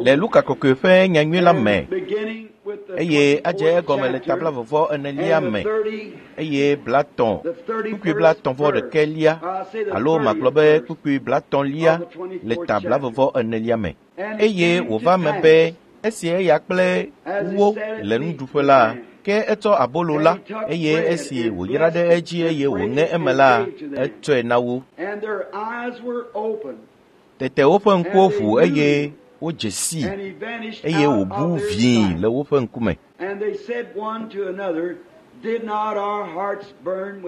Le Luka kɔkɔe ƒe nyanyui la me eye adze egɔme le ta blaeve vɔ enelia me eye blatɔ̃ kpukpui blatɔ̃ vɔ ɖekɛlia alo magblɔ be kpukpui blatɔ̃lia le ta blaeve vɔ enelia me. Eye wòva me be esi eya kple wo le nuɖuƒe la, ke etsɔ abolo la eye esi wòyra ɖe edzi eye wòŋe eme la, etsɔe na wo. Tete woƒe ŋkuwo ʋu eye wodze sii eye wòbu vĩi le woƒe ŋkume.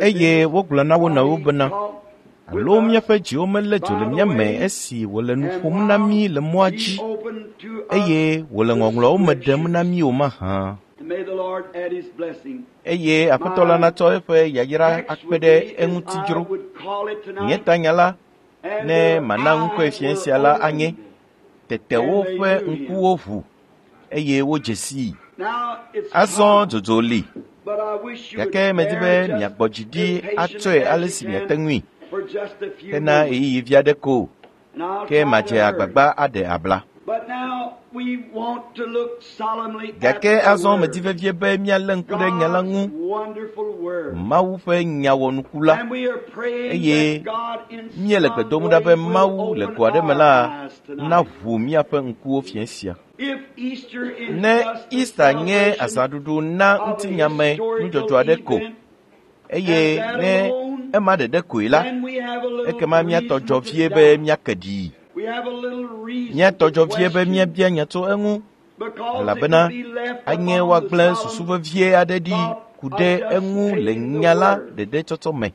Eye wogblɔ na wo nɔewo bena, alo míaƒe dziwo melé dzo le mía me esi wòle nu ƒom na mí le mɔa dzi eye wòle ŋɔŋlɔawo me ɖem na mí o mahã. Eye Aƒetɔ la natsɔ eƒe yayra akpe ɖe eŋuti dzro. Nye tanya la, ne mana ŋkɔe fia sia la anye, tete woƒe ŋkuwo ʋu eye wodze sii. Azɔ dzodzo li, gake medi be miagbɔ dzi ɖi atsɔe ale si miate ŋui hena ɣeyiɣi vi aɖe ko, ke madze agbagba aɖe abla. Gake azɔ medi vevie be míalé ŋku ɖe nya la ŋu, Mawu ƒe nya wɔnuku la, eye míele gbe dom ɖa be Mawu le go aɖe me la naʋu míaƒe ŋkuwo fiẽ sia. Ne Easter nye azãɖuɖu na ŋutinyame nudzɔdzɔ aɖe ko eye ne ema ɖeɖe koe la, ekema míatɔ dzɔ vie be míake ɖii. Míatɔ dzɔ vie be míabia nya tso eŋu elabena anye woagblẽ susu vevie aɖe ɖi ku ɖe eŋu le nya la ɖeɖe tsɔtsɔ me.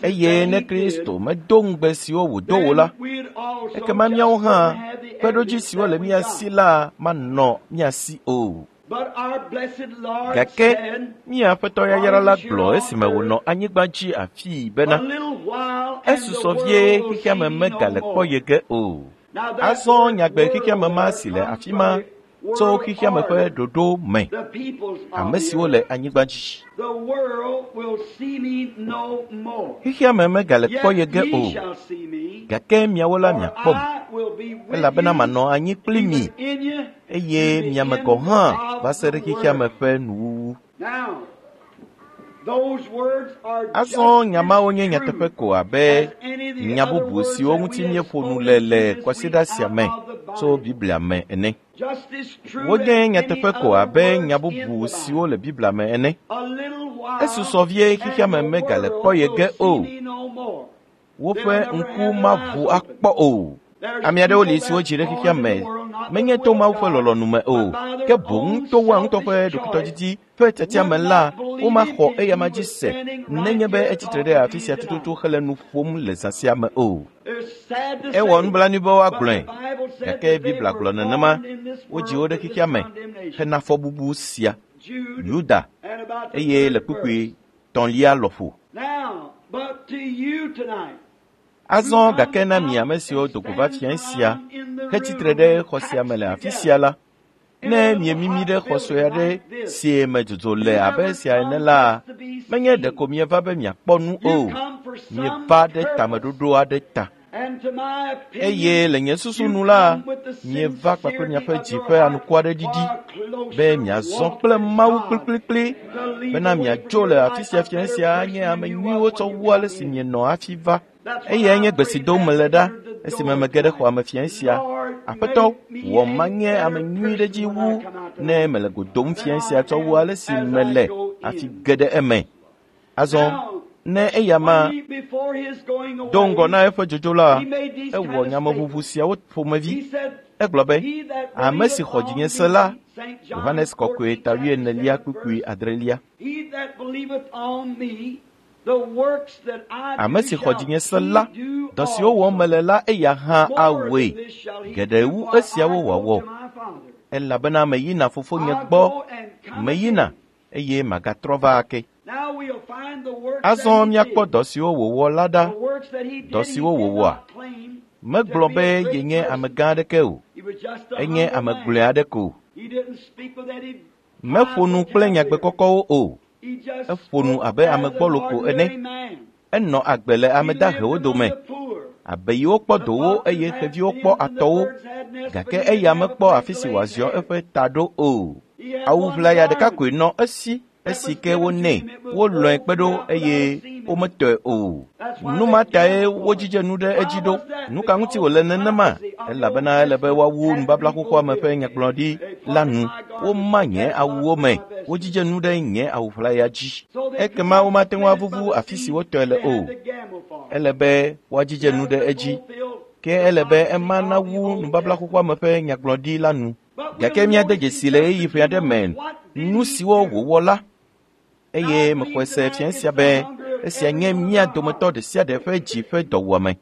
Eye ne Kristo medo ŋugbe siwo wòdo o la, ekema míawo hã kpeɖodzi siwo le mía si la manɔ mía si o. Gake mía Aƒetɔ yayra la gblɔ esime wònɔ anyigba dzi afii bena, esusɔ vie xexeame megale kpɔ ye ge o. Azɔ nyagbe xexeame ma si le afi ma tso xexeame ƒe ɖoɖo me, ame siwo le anyigba dzi. Xexeame megale kpɔ ye ge o, gake miawo la miakpɔm, elabena manɔ anyi kpli mi eye miame gɔ̃ hã va se ɖe xexeame ƒe nuwuwu. Azɔ nya mawo nye nyateƒe ko abe nya bubu siwo ŋuti míeƒo nu le le kwasiɖa sia me tso Biblia me ene. Wonye nyateƒe ko abe nya bubu siwo le Biblia me ene. Esusɔ vie xexeame megale kpɔ ye ge o. Woƒe ŋku maʋu akpɔ o. Ame aɖewo li siwo dzi ɖe xexea me menye to Mawu ƒe lɔlɔ̃nu me o, ke boŋ to woa ŋutɔ ƒe ɖokuitɔdidi ƒe tiatia me la, womaxɔ eyama dzi se nenye be etsitre ɖe afi sia tututu hele nu ƒom le zã sia me o. Ewɔ nublanui be woagblɔe, gake Biblia gblɔ nenema, wodzi wo ɖe xexea me hena fɔbubu sia. Yuda, eye le kpukpui tɔ̃lia lɔƒo. Azɔ gake na mi ame siwo do go va fiẽ sia hetsitre ɖe xɔ sia me le afi sia la, ne miemimi ɖe xɔ sue aɖe si me dzodzo le abe esia ene la, menye ɖeko mieva be miakpɔ nu o, mieva ɖe tameɖoɖo aɖe ta. Eye le nye susu nu la, mieva kpakple miaƒe dzi ƒe anukware ɖiɖi be miazɔ kple Mawu kplikplikpli bena miadzo le afi sia fiẽ sia anye ame nyuiwo tsɔ wu ale si mienɔ hafi va. Eyae nye gbe si dom mele ɖa esime mege ɖe xɔa me fiẽ sia. Aƒetɔ, wɔ manye ame nyui ɖe dzi wu ne mele go dom fiẽ sia tsɔ wu ale si mele hafi ge ɖe eme. Azɔ, ne eya ma do ŋgɔ na eƒe dzodzo la, ewɔ nyameʋuʋu siawo ƒomevi. Egblɔ be, ame si xɔ dzinye se la, Yohanes kɔkɔe ta wuienelia kpukpui adrelia. Ame si xɔ dzinye se la, dɔ siwo wɔm mele la eya hã awɔe, geɖe wu esiawo wòawɔ. Elabena meyina fofonye gbɔ, meyina eye magatrɔ va ake. Azɔ míakpɔ dɔ siwo wòwɔ la ɖa, dɔ siwo wòwɔa. Megblɔ be yenye amegã aɖeke o, enye ame gblɔe aɖe ko. Meƒo nu kple nyagbe kɔkɔwo o, eƒo nu abe ame gbɔlo ko ene. Enɔ agbe le ame dahewo dome, Abeyiwo kpɔ dowo eye xeviwo kpɔ atɔwo, gake eya mekpɔ afi si wòaziɔ eƒe ta ɖo o. Awu ʋlaya ɖeka koe nɔ esi esi ke wonɛ, wolɔ̃e kpe ɖo eye wometɔe o. Nu ma tae wodzidze nu ɖe edzi ɖo. Nu ka ŋuti wòle nenema? Elabena ele be woawu nubabla xoxoa me ƒe nyagblɔɖi la nu. Woma nye awuwo me, wodzidze nu ɖe nye awu ʋlaya dzi. Ekema womate ŋu avuvu afi si wotɔe le o. Ele be woadzidze nu ɖe edzi. Ke ele be ema nawu nubabla xoxoa me ƒe nyagblɔɖi la nu. Gake míade dzesi le ɣeyiɣi ƒe aɖe me nu siwo wòwɔ la, eye mexɔe se fia sia be esia nye mía dometɔ ɖe sia ɖe ƒe dzi ƒe dɔwuame.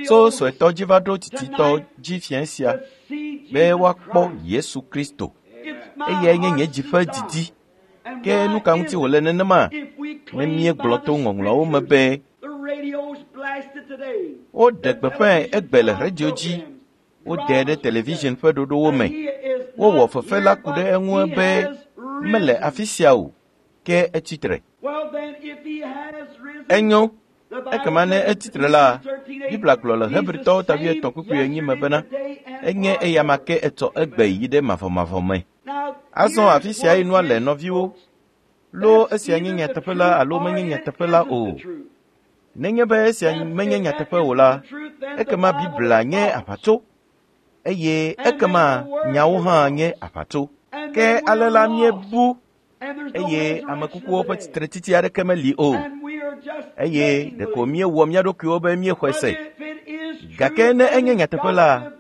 Tso suetɔ dzi va ɖo tsitsitɔ dzi fia sia be woakpɔ Yesu Kristo. Eyae nye nye dzi ƒe didi. Ke nu ka ŋuti wòle nenema? Ne míegblɔ to ŋɔŋlɔawo me be woɖe gbeƒãe egbe le radio dzi, woɖee ɖe television ƒe ɖoɖowo me. Wowɔ fefe la ku ɖe eŋu be mele afi sia o, ke etsi tre. Enyo, ekema ne etsi tre la, Biblia gblɔ le Hebritɔwo ta 3:4 me bena enye eyama ke etsɔ egbe yi ɖe mavɔmavɔ me. Azɔ afi sia yi nua le nɔviwo, loo esia nye nyateƒe la alo menye nyateƒe la o. Nenye be esia menye nyateƒe o la, ekema Biblia nye aʋatso eye ekema nyawo hã nye aʋatso. Ke ale la míebu eye ame kukuwo ƒe tsitretsitsi aɖeke meli o, eye ɖeko míewɔ mía ɖokuiwo be míexɔe se. Gake ne enye nyateƒe la,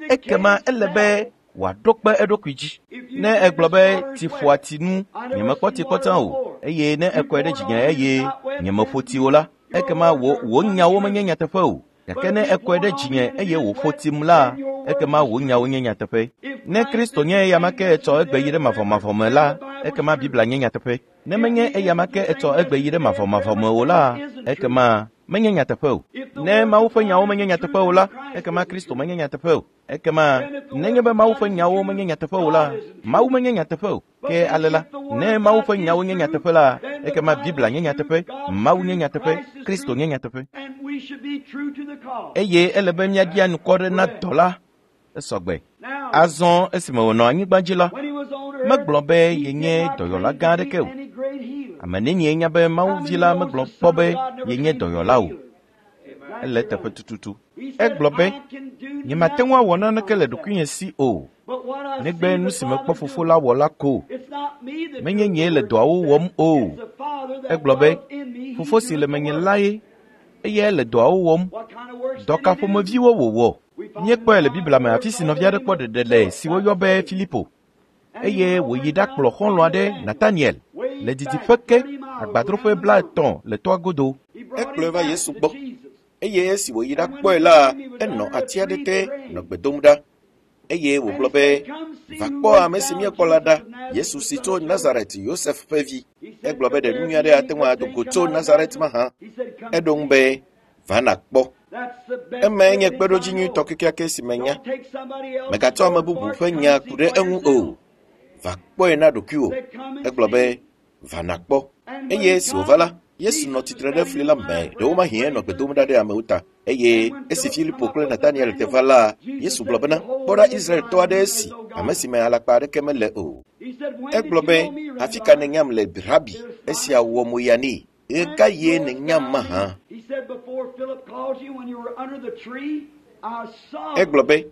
ekema ele be wòaɖo kpe eɖokui dzi. Ne egblɔ be tsi ƒoa tsi nu, nyemekpɔ tsi kpɔ tsã o, eye ne ekɔe ɖe dzinye eye nyemeƒo tsi o la, ekema wò nyawo menye nyateƒe o. Gake ne ekɔe ɖe dzinye eye wòƒo tsim la, ekema wò nyawo nye nyateƒe. Ne Kristo nye eyama ke etsɔ egbe yi ɖe mavɔmavɔ me la, ekema Biblia nye nyateƒe. Ne menye eyama ke etsɔ egbe yi ɖe mavɔmavɔ me o la, ekema menye nyateƒe o. Ne Mawu ƒe nyawo menye nyateƒe o la, ekema Kristo menye nyateƒe o. Ekema nenye be Mawu ƒe nyawo menye nyateƒe o la, Mawu menye nyateƒe o. Ke ale la, ne Mawu ƒe nyawo nye nyateƒe la, ekema Biblia nye nyateƒe, Mawu nye nyateƒe, Kristo nye nyateƒe. Eye ele be míaɖi anukware na dɔ la esɔgbe. Azɔ esime wònɔ anyigba dzi la, megblɔ be yenye dɔyɔla gã aɖeke o. Ame nenie nya be Mawu vi la megblɔ kpɔ be yenye dɔyɔla o. Ele eteƒe tututu. Egblɔ be, nyemate ŋu awɔ naneke le ɖokuinye si o, negbe nu si mekpɔ fofo la wɔ la ko. Menye nyee le dɔawo wɔm o. Egblɔ be, fofo si le menye lae, eyae le dɔawo wɔm. Dɔ ka ƒomeviwo wòwɔ? Míekpɔe le Biblia me afi si nɔvi aɖe kpɔ ɖeɖe le si woyɔ be Filipo, eye wòyi ɖakplɔ xɔlɔ̃ aɖe Nataniel le didiƒe ke agbadroƒe 30 le toa godo. Ekplɔe va Yesu gbɔ, eye esi wòyi ɖakpɔe la, enɔ ati aɖe te nɔ gbe dom ɖa. Eye wògblɔ be, va kpɔ ame si míekpɔ la ɖa, Yesu si tso Nazaret, Yosef ƒe vi. Egblɔ be ɖe nu nyui aɖe ate ŋu ado go tso Nazaret mahã. Eɖo ŋu be, va nàkpɔ. Emae nye kpeɖodzi nyuitɔ kekeake si menya. Mègatsɔ ame bubu ƒe nya ku ɖe eŋu o. Va kpɔe na ɖokuiwò. Egblɔ be, va nàkpɔ. Eye esi wòva la, Yesu nɔ tsitre ɖe fli la me, ɖewomahi enɔ gbe dom ɖa ɖe amewo ta. Eye esi Filipo kple Nataniel te va la, Yesu gblɔ bena, kpɔ ɖa Israeltɔ aɖe esi, ame si me alakpa aɖeke mele o. Egblɔ be, afi ka nènyam le, Rabi? Esia wɔ mo ya nɛ. Ɣe ka ɣie nènyam mahã? Egblɔ be,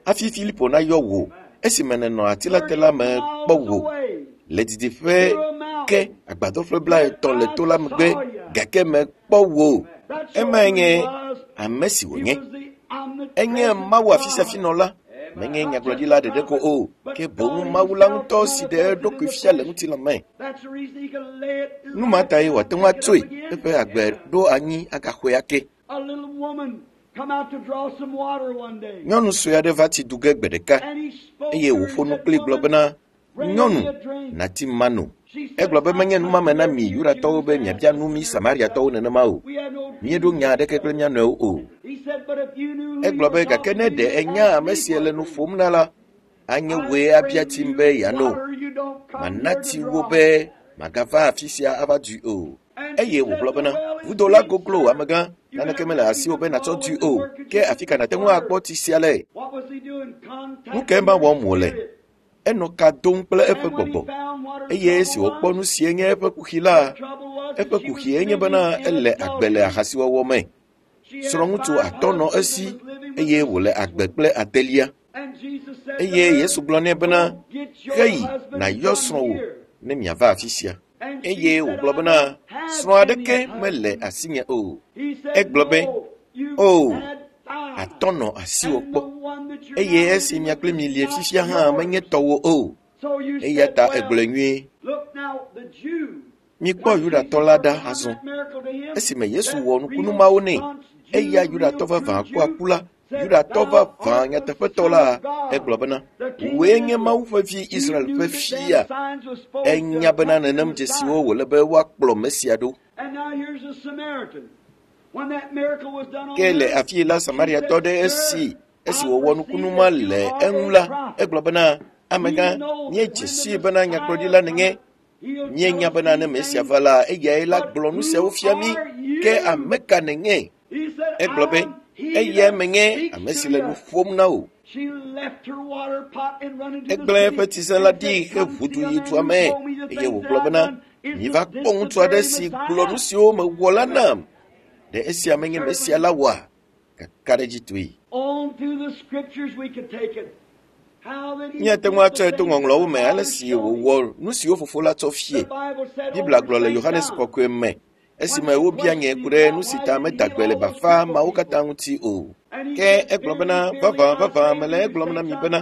hafi Filipo nayɔ wò, esime nènɔ ati la te la me kpɔ wò le didiƒe ke agbadroƒe 30 le to la megbe, gake mekpɔ wò. Emae nye ame si wònye. Enye Mawu afisiafinɔla, menye nyagblɔɖila ɖeɖe ko o, ke boŋ Mawu la ŋutɔ si ɖe eɖokui fia le ŋutilã me. Nu ma tae wòate ŋu atsoe eƒe agbe ɖo anyi agaxɔe ake. Nyɔnu sue aɖe va tsi du ge gbe ɖeka eye wòƒo nu kpli gblɔ bena, nyɔnu, nàti mano. Egblɔ be menye numame na mi Yudatɔwo be miabia nu mi Samariatɔwo nenema o. Míeɖo nya aɖeke kple mía nɔewo o. Egblɔ be gake ne ɖe enya ame si le nu ƒom na la, anye wòe abia tsim be yeano. Mana tsi wo be magava afi sia ava dui o. Eye wògblɔ bena, vudo la goglo amegã, naneke mele asiwò be nàtsɔ dui o, ke afi ka nàte ŋu akpɔ tsi sia le? Nu kae ma wɔm wòle? Enɔ ka dom kple eƒe gbɔgbɔ. Eye esi wòkpɔ nu sie nye eƒe kuxi la, eƒe kuxie nye bena ele agbe le ahasiwɔwɔ me. Srɔ̃ŋutsu atɔ nɔ esi eye wòle agbe kple adelia. Eye Yesu gblɔ nɛ bena, heyi nàyɔ srɔ̃wò ne miava afi sia. Eye wògblɔ bena, srɔ̃ aɖeke mele asinye o. Egblɔ be, o, atɔ nɔ asiwò kpɔ. Eye esi mia kple mi lie fifia hã menye tɔwò o. Eya ta egblɔe nyuie. Mikpɔ Yudatɔ la ɖa azɔ. Esime Yesu wɔ nukunu mawo nɛ, eya Yudatɔ vavã kua ku la, Yudatɔ vavã nyateƒetɔ la, egblɔ bena, wòe nye Mawu ƒe vi Israel ƒe fia. Enya bena nenem dzesiwo wòle be woakplɔ Mesia ɖo. Ke le afi la Samariatɔ ɖe esi esi wòwɔ nukunu ma le eŋu la, egblɔ bena, amegã, míedze sii bena nyagblɔɖila nènye. Míenya bena ne Mesia va la, eyae la gblɔ nu siawo fia mí. Ke ame ka nènye? Egblɔ be, eyae menye ame si le nu ƒom na wò. Egblẽ eƒe tsise la ɖi heʋu du yi dua me eye wògblɔ bena, miva kpɔ ŋutsu aɖe si gblɔ nu siwo mewɔ la nam. Ɖe esia menye Mesia la wɔa? Kakaɖedzitɔe. Míate ŋu atsɔe to ŋɔŋlɔwo me ale si wòwɔ nu siwo fofo la tsɔ fie. Biblia gblɔ le Yohanes kɔkɔe me esime wobia nye ku ɖe nu si ta meda gbe le bafa mawo katã ŋuti o. Ke egblɔ bena, vavã, vavã, mele egblɔm na mi bena,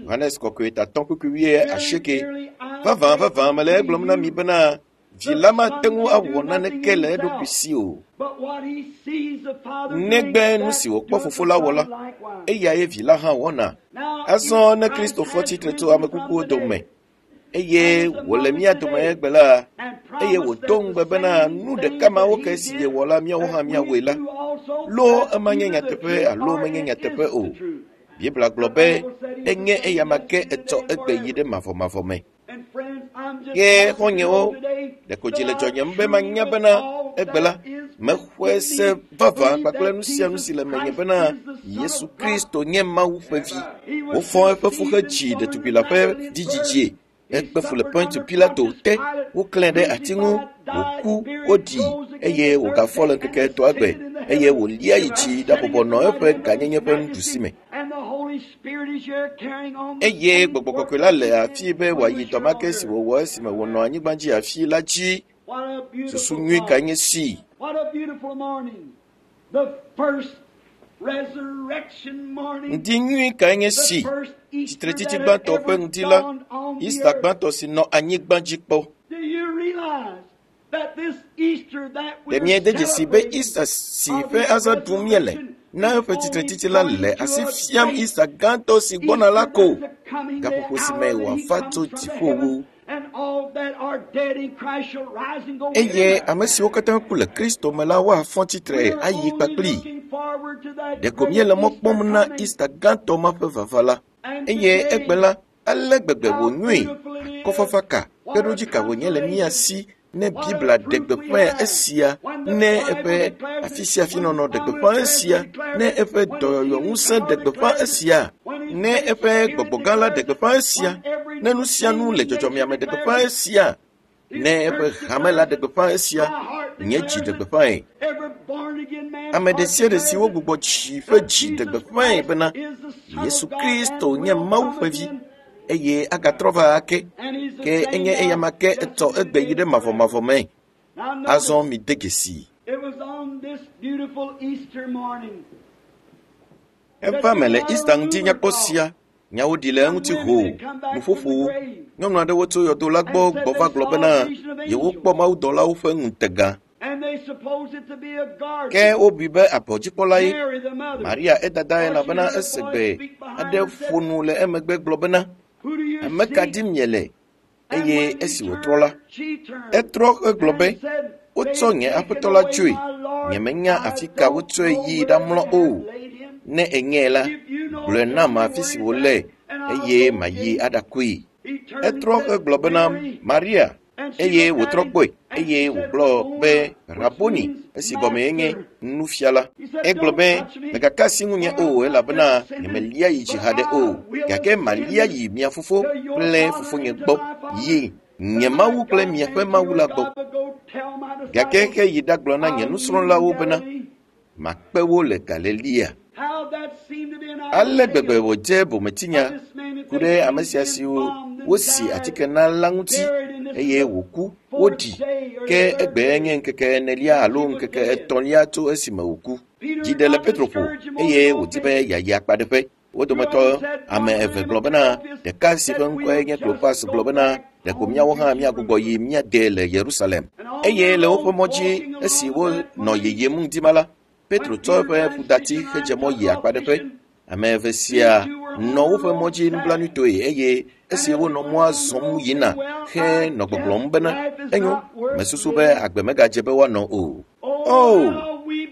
Yohanes kɔkɔe tatɔ kpukpui wuiasieke, vavã, vavã, mele egblɔm na mi bena, vi la mate ŋu awɔ naneke le eɖokui si o. Negbe nu si wòkpɔ fofo la wɔ la, eyae vi la hã wɔna. Azɔ ne Kristo fɔ tsitre tso ame kukuwo dome eye wòle mía dome egbe la, eye wòdo ŋugbe bena nu ɖeka mawo ke si yewɔ la míawo hã míawɔe la, loo ema nye nyateƒe alo menye nyateƒe o. Biblia gblɔ be enye eyama ke etsɔ egbe yi ɖe mavɔmavɔ me. Ke xɔ̃nyewo, ɖeko dzi le dzɔnyem be manya bena egbe la, mexɔe se vavã kpakple nu sia nu si le menye bena Yesu Kristo nye Mawu ƒe vi. Wofɔ eƒe fu hedzi ɖetugbi la ƒe vidzidzie. Ekpe fu le Pontio Pilato te, woklãe ɖe ati ŋu, wòku, woɖii eye wògafɔ le ŋkeke etɔ̃a gbe eye wòlia yi dzi ɖabɔbɔ nɔ eƒe gãnyenye ƒe nuɖusi me. Eye gbɔgbɔ kɔkɔe la le afi be wòayi dɔ ma ke si wòwɔ esime wònɔ anyigba dzi afi la dzi. Susu nyui kae nye si? Ŋdi nyui kae nye si? Tsitretsitsi gbãtɔ ƒe ŋdi la, Easter gbãtɔ si nɔ anyigba dzi kpɔ. Ɖe míede dzesi be Easter si ƒe azã ɖum míele na eƒe tsitretsitsi la le asi fiam Easter gãtɔ si gbɔna la ko, gaƒoƒo si me wòava tso dziƒowo. Eye ame siwo katã ku le Kristo me la woafɔ tsitre ayi kpakplii. Ɖeko míele mɔ kpɔm na Easter gãtɔ ma ƒe vava la. Eye egbe la, ale gbegbe wònyoe, akɔfafa ka, kpeɖodzi ka wònye le mía si ne Biblia ɖe gbeƒã esia, ne eƒe afi sia afi nɔnɔ ɖe gbeƒã esia, ne eƒe dɔyɔyɔ ŋusẽ ɖe gbeƒã esia, ne eƒe gbɔgbɔ gã la ɖe gbeƒã esia, ne nu sia nu le dzɔdzɔmea me ɖe gbeƒã esia, ne eƒe hame la ɖe gbeƒã esia, nye dzi ɖe gbeƒãe. Ame ɖe sia ɖe si wogbugbɔ dzi ƒe dzi ɖe gbeƒãe bena Yesu Kristo nye Mawu ƒe vi eye agatrɔ va ake, ke enye eyama ke etsɔ egbe yi ɖe mavɔmavɔ me. Azɔ mide dzesii. Eva me le Easter ŋuti nyakpɔ sia, nyawo ɖi le eŋuti hoo, nuƒoƒowo. Nyɔnu aɖewo tso yɔdo la gbɔ gbɔ va gblɔ bena yewokpɔ mawudɔlawo ƒe ŋutega. Ke wobui be abɔdzikpɔlae. Maria edada elabena ese gbe aɖe ƒo nu le emegbe gblɔ bena, ame ka dim miele? Eye esi wòtrɔ la, etrɔ hegblɔ be, wotsɔ nye aƒetɔ la tsoe. Nyemenya afi ka wotsɔe yi ɖamlɔ o. Ne ènyae la, gblɔe nam afi si wòle eye mayi aɖakoe. Etrɔ hegblɔ bena, Maria. Eye wòtrɔ kpɔe eye wògblɔ be Raboni, esi gɔmee nye nufiala. Egblɔ be, mègaka asi ŋunye o elabena nyemelia yi dzi haɖe o, gake malia yi mia fofo kple fofonye gbɔ, yi nye Mawu kple miaƒe Mawu la gbɔ. Gake heyi ɖagblɔ na nye nusrɔ̃lawo bena, makpe wo le Galilea. Ale gbegbe wòdze bometinya ku ɖe ame sia siwo wosi atike na la ŋuti eye wòku woɖi ke egbe nye ŋkeke enelia alo ŋkeke etɔ̃lia tso esime wòku. Dzi ɖe le Petro ƒo eye wòdi be yeayi akpaɖeƒe. Wo dometɔ ame eve gblɔ bena ɖeka si ƒe ŋkɔe nye Klopas gblɔ bena ɖeko míawo hã míagbugbɔ yi míade le Yerusalem. Eye le woƒe mɔ dzi esi wonɔ yiyim ŋdi ma la, Petro tsɔ eƒe ƒudati hedze mɔ yi akpaɖeƒe. Ame eve sia nɔ woƒe mɔ dzi nublanuitɔe eye esi wonɔ mɔa zɔm yina henɔ gbɔgblɔm bena enyo, mesusu be agbe megadze be woanɔ o. O,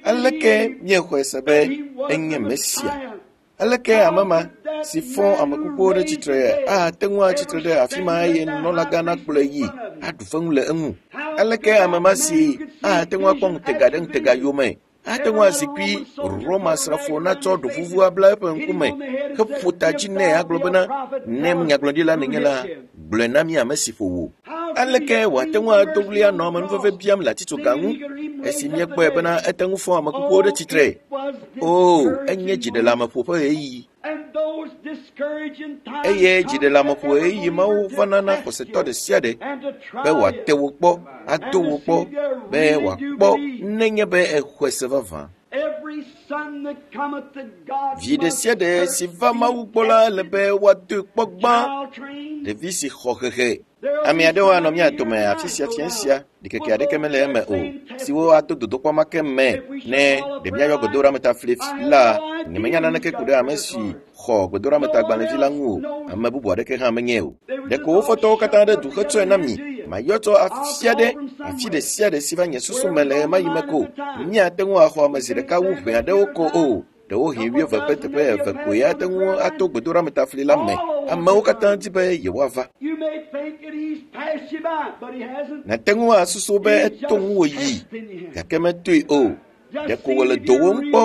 aleke míexɔe se be enye Mesia? Aleke ame ma si fɔ ame kukuwo ɖe tsitre ate ŋu atsitre ɖe afi ma eye nunɔlagã nakplɔe yi aɖu feŋu le eŋu? Aleke ame ma si ate ŋu akpɔ ŋutega ɖe ŋutega yome ate ŋu azikpui Roma srafo natsɔ ɖovuvu abla eƒe ŋkume heƒo ta dzi nɛ agblɔ bena ne nyagblɔɖila nènye la, gblɔe na mí ame si ƒo wò. Aleke wòate ŋu ado ɣli anɔ amenuveve biam le atitsoga ŋu esi míekpɔe bena ete ŋu fɔ ame kukuwo ɖe tsitre? O, enye dziɖeleameƒo ƒe ɣeyiɣi. Eye dziɖeleameƒo ɣeyiɣi mawo vana na xɔsetɔ ɖe sia ɖe be wòate wo kpɔ, ado wo kpɔ, be wòakpɔ nenye be exɔe se vavã. Vi ɖe sia ɖe si va Mawu gbɔ la ele be woadoe kpɔ gbã. Ɖevi si xɔ hehe. Ame aɖewo anɔ mía dome afi sia fiẽ sia, ɖikeke aɖeke mele eme o, siwo ato dodokpɔ ma ke me ne ɖe míayɔ gbedoɖametafli la. Nyemenya naneke ku ɖe ame si xɔ gbedoɖametagbalẽvi la ŋu o, ame bubu aɖeke hã menye o. Ɖeko wo fɔtɔwo katã ɖe du hetsɔe na mi. Mayɔ tso afia ɖe afi ɖe sia ɖe si va nye susu me le ɣemaɣi me ko. Míate ŋu axɔ ame zi ɖeka wu ʋɛ aɖewo ko o. Ɖewohĩ wuieve ƒe teƒe eve koe ate ŋu ato gbedoɖametafli la me. Amewo katã di be yewoava. Nàte ŋu asusu be eto ŋuwò yi, gake metoe o. Ɖeko wòle dowòm kpɔ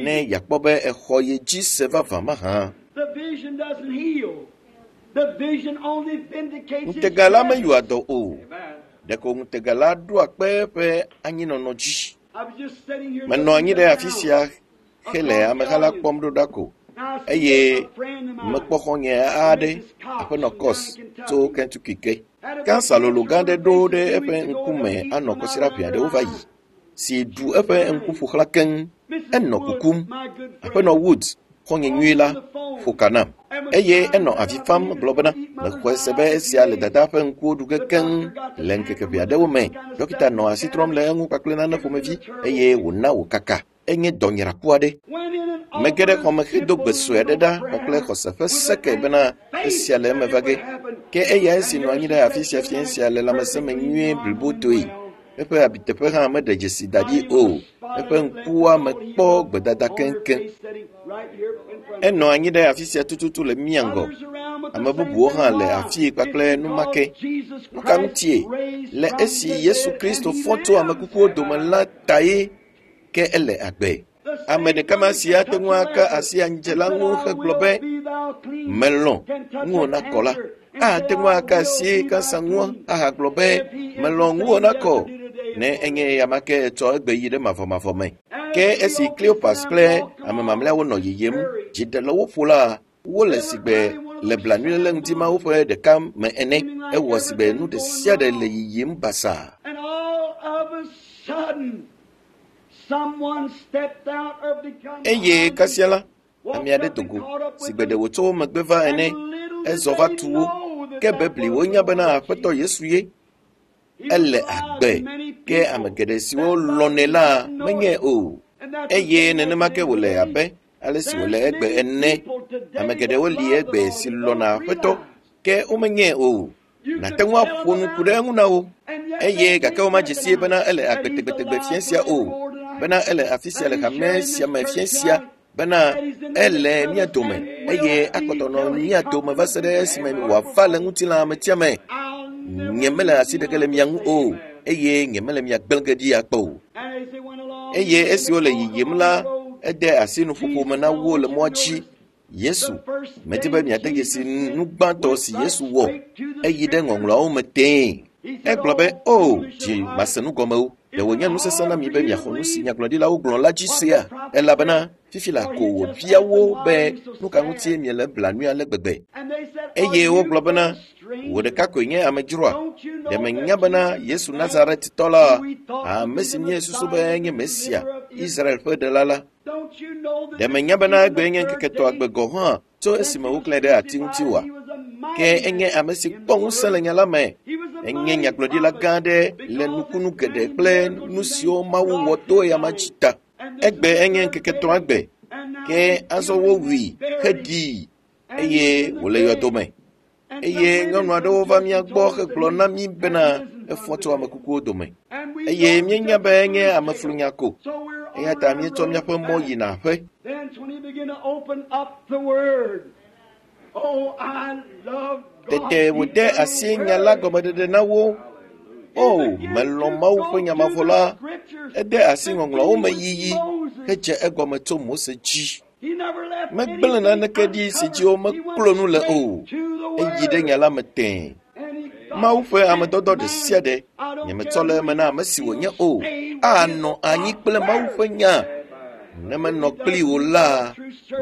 ne yeakpɔ be exɔ ye dzi se vavã mahã. Ŋutega la meyɔa dɔ o. Ɖeko ŋutega la ɖoa kpe eƒe anyinɔnɔ dzi. Menɔ anyi ɖe afi sia hele ameha la kpɔm ɖo ɖa ko eye mekpɔ xɔ̃nye aɖe, aƒenɔ Kɔs tso Kentucky ke. Kansa lolo gã aɖe ɖo ɖe eƒe ŋkume anɔ kɔsiɖa ʋɛ aɖewo va yi si ɖu eƒe ŋku ƒoxlã keŋ. Enɔ kukum. Aƒenɔ Woods, xɔ̃nye nyui la, ƒo ka nam eye enɔ avi fam gblɔ bena mexɔe se be esia le dada ƒe ŋkuwo ɖu ge keŋ le ŋkeke ʋɛ aɖewo me. Dɔkita nɔ asi trɔm le eŋu kpakple nane ƒomevi eye wòna wòkaka. Enye dɔnyraku aɖe. Mege ɖe xɔme hedo gbe sue aɖe ɖa kpakple xɔse ƒe seke bena esia le eme va ge. Ke eya esi nɔ anyi ɖe afi sia fiẽ sia le lãmesẽ me nyuie blibotoe. Eƒe abiteƒe hã meɖe dzesi da ɖi o. Eƒe ŋkuwa me kpɔ gbedada keŋkeŋ. Enɔ anyi ɖe afi sia tututu le mía ŋgɔ. Ame bubuwo hã le afii kpakple numake. Nu ka ŋutie? Le esi Yesu Kristo fɔ tso ame kukuwo dome la tae ke ele agbe. Ame ɖeka ma si ate ŋu aka asi anyidzela ŋu hegblɔ be melɔ̃ ŋuwò nakɔ la, ate ŋu aka asi kansa ŋu ahagblɔ be melɔ̃ ŋuwò nakɔ ne enye eya ma ke etsɔ egbe yi ɖe mavɔmavɔ me. Ke esi Kleopas kple ame mamlɛawo nɔ yiyim, dzi ɖe le wo ƒo la, wole sigbe le blanuiléle ŋdi mawo ƒe ɖeka me ene. Ewɔ sigbe nu ɖe sia ɖe le yiyim basaa. Eye kasia la, ame aɖe do go sigbe ɖe wòtso wo megbe va ene. Ezɔ va tu wo. Ke bebli wonya bena Aƒetɔ Yesu ye. Ele agbe. Ke ame geɖe siwo lɔ̃nɛ la menyae o. Eye nenema ke wòle abe ale si wòle egbe ene. Ame geɖewo li egbe si lɔ̃na Aƒetɔ, ke womenyae o. Nàte ŋu aƒo nu ku ɖe eŋu na wo. Eye gake womadze sie bena ele agbe tegbetegbe fiẽ sia o, bena ele afi sia le hame sia me fiẽ sia, bena ele mía dome eye akpɔtɔ nɔ mía dome va se ɖe esime wòava le ŋutilã ametia me. Nye mele asi ɖeke le mia ŋu o, eye nye mele mia gblẽ ge ɖi akpɔ o. Eye esi wole yiyim la, ede asi nuƒoƒo me na wo le mɔa dzi. Yesu, medi be miade dzesi nu gbãtɔ si Yesu wɔ. Eyi ɖe ŋɔŋlɔawo me tẽe. Egblɔ be, "O, dzi mase nu gɔme o. Ɖe wònye nu sesẽ na mi be miaxɔ nu si nyagblɔɖilawo gblɔ la dzi sea? Elabena fifi la ko wòbia wo be nu ka ŋutie miele blanui ale gbegbe." Eye wogblɔ bena, "Wò ɖeka koe nye amedzroa? Ɖe menya bena Yesu Nazaretitɔ la, ame si míesusu be enye Mesia, Israel ƒe ɖela la, ɖe menya bena egbee nye ŋkeke etɔ̃agbe gɔ̃ hã tso esime woklãe ɖe ati ŋuti oa? Ke enye ame si kpɔ ŋusẽ le nya la me. Enye nyagblɔɖila gã aɖe le nukunu geɖe kple nu siwo Mawu wɔ to eyama dzi ta. Egbe enye ŋkeke etɔ̃agbe, ke azɔ wowui heɖii eye wòle yɔdo me. Eye nyɔnu aɖewo va mía gbɔ hegblɔ na mí bena efɔ tso ame kukuwo dome. Eye míenya be enye ameflunya ko. Eya ta míetsɔ míaƒe mɔ yina aƒe. Tete wòde asi nya la gɔmeɖeɖe na wo. O, melɔ̃ Mawu ƒe nya mavɔ la. Ede asi ŋɔŋlɔawo me yiyi hedze egɔme tso Mose dzi. Megblẽ naneke ɖi si dzi womeklo nu le o. Eyi ɖe nya la me tẽe. Mawu ƒe amedɔdɔ ɖe sia ɖe, nyemetsɔ le eme na ame si wònye o, anɔ anyi kple Mawu ƒe nya. Ne menɔ kpli wò la,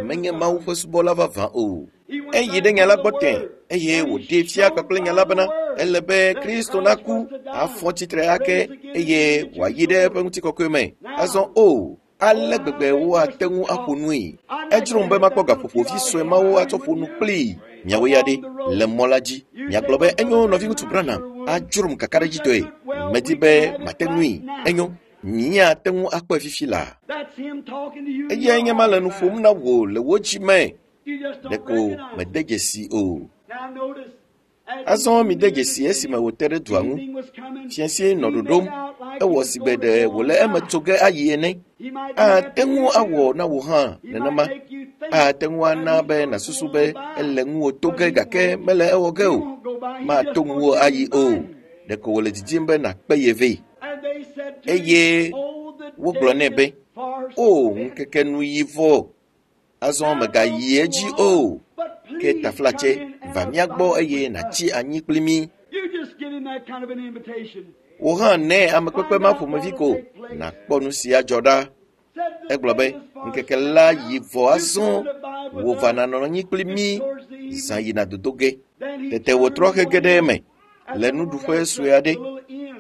menye Mawu ƒe subɔla vavã o. Eyi ɖe nya la gbɔ tẽ eye wòɖee fia kpakple nya la bena ele be Kristo naku, afɔ tsitre ake eye wòayi ɖe eƒe ŋutikɔkɔe me. Azɔ o, ale gbegbe woate ŋu aƒo nui. Edzrom be makpɔ gaƒoƒo vi sue mawo atsɔ ƒo nu kplii. Miawo ya ɖe, le mɔ la dzi. Miagblɔ be enyo nɔviŋutsu Branham adzrom kakaɖedzitɔe. Medi be mate ŋui. Enyo. Míate ŋu akpɔe fifi laa. Eyae nye ma le nu ƒom na wò le wò dzi me. Ɖeko mede dzesi o. Azɔ mide dzesi esime wòte ɖe dua ŋu. Fiasie nɔ ɖoɖom. Ewɔ si gbe ɖe wòle eme tso ge ayi ene. Ate ŋu awɔ na wò hã nenema. Ate ŋu ana be nàsusu be ele ŋuwò to ge gake mele ewɔ ge o. Mato ŋuwò ayi o. Ɖeko wòle didim be nàkpe ye vɛ. Eye wogblɔ nɛ be, "O, ŋkeke nu yi vɔ. Azɔ mègayi edzi o. Ke taflatse, va mía gbɔ eye nàtsi anyi kpli mí." Wò hã nɛ amekpekpe ma ƒomevi ko nàkpɔ nu si adzɔ ɖa. Egblɔ be, ŋkeke la yi vɔ azɔ, wò va nànɔ anyi kpli mí, zã yina dodo ge. Tete wòtrɔ hege ɖe eme le nuɖuƒe sue aɖe,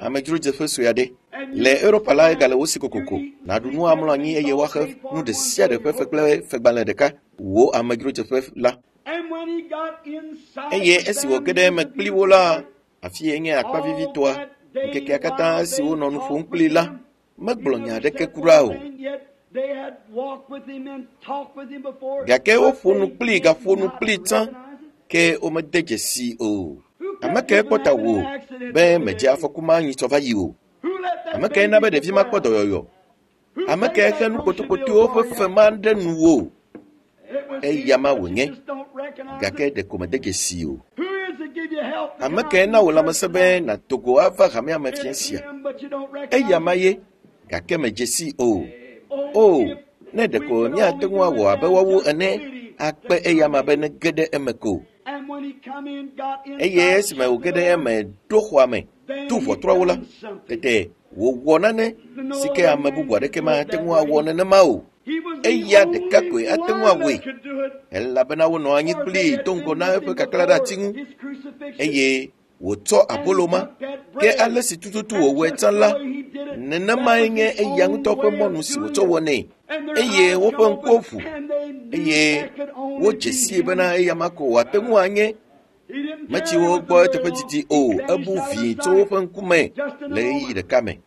amedzrodzeƒe sue aɖe. Le Europa la egale wo si kokoko. Nàɖu nu amlɔ anyi eye woaxe nu ɖe sia ɖe ƒe fe kple fegbalẽ ɖeka. Wò amedzrodzeƒe la. Eye esi wòge ɖe eme kpli wo la, afi ye nye akpa vivitɔa. Ŋkekea katã esi wonɔ nu ƒom kplii la, megblɔ nya aɖeke kura o. Gake woƒo nu kplii gaƒo nu kplii tsã, ke womede dzesi o. Ame kae kpɔ ta wò be mèdze afɔku ma nyitsɔ va yi o? Ame kae na be ɖevi ma kpɔ dɔyɔyɔ? Ame kae xe nu kpotokotoewo ƒe fe ma ɖe nuwò? Eya ma wònye, gake ɖeko mede dzesi o. Ame kae na wò lãmesẽ be nàdo go ava hamea me fiẽ sia? Eya ma ye, gake medze sii o. O, ne ɖeko míate ŋu awɔ abe woawo ene, akpe eya ma be nege ɖe eme ko. Eye esime wòge ɖe eme ɖo xɔa me, tu ʋɔtruawo la, tete wòwɔ nane si ke ame bubu aɖeke mate ŋu awɔ nenema o. Eya ɖeka koe ate ŋu awɔe, elabena wonɔ anyi kplii do ŋgɔ na eƒe kaklã ɖe ati ŋu, eye wòtsɔ abolo ma. Ke ale si tututu wòwɔe tsã la, nenemae nye eya ŋutɔ ƒe mɔnu si wòtsɔ wɔnɛ. Eye woƒe ŋkuwo ʋu, eye wodze sii bena eya ma ko wòate ŋu anye. Metsi wo gbɔ eteƒe didi o, ebu vĩi tso woƒe ŋkume le ɣeyiɣi ɖeka me.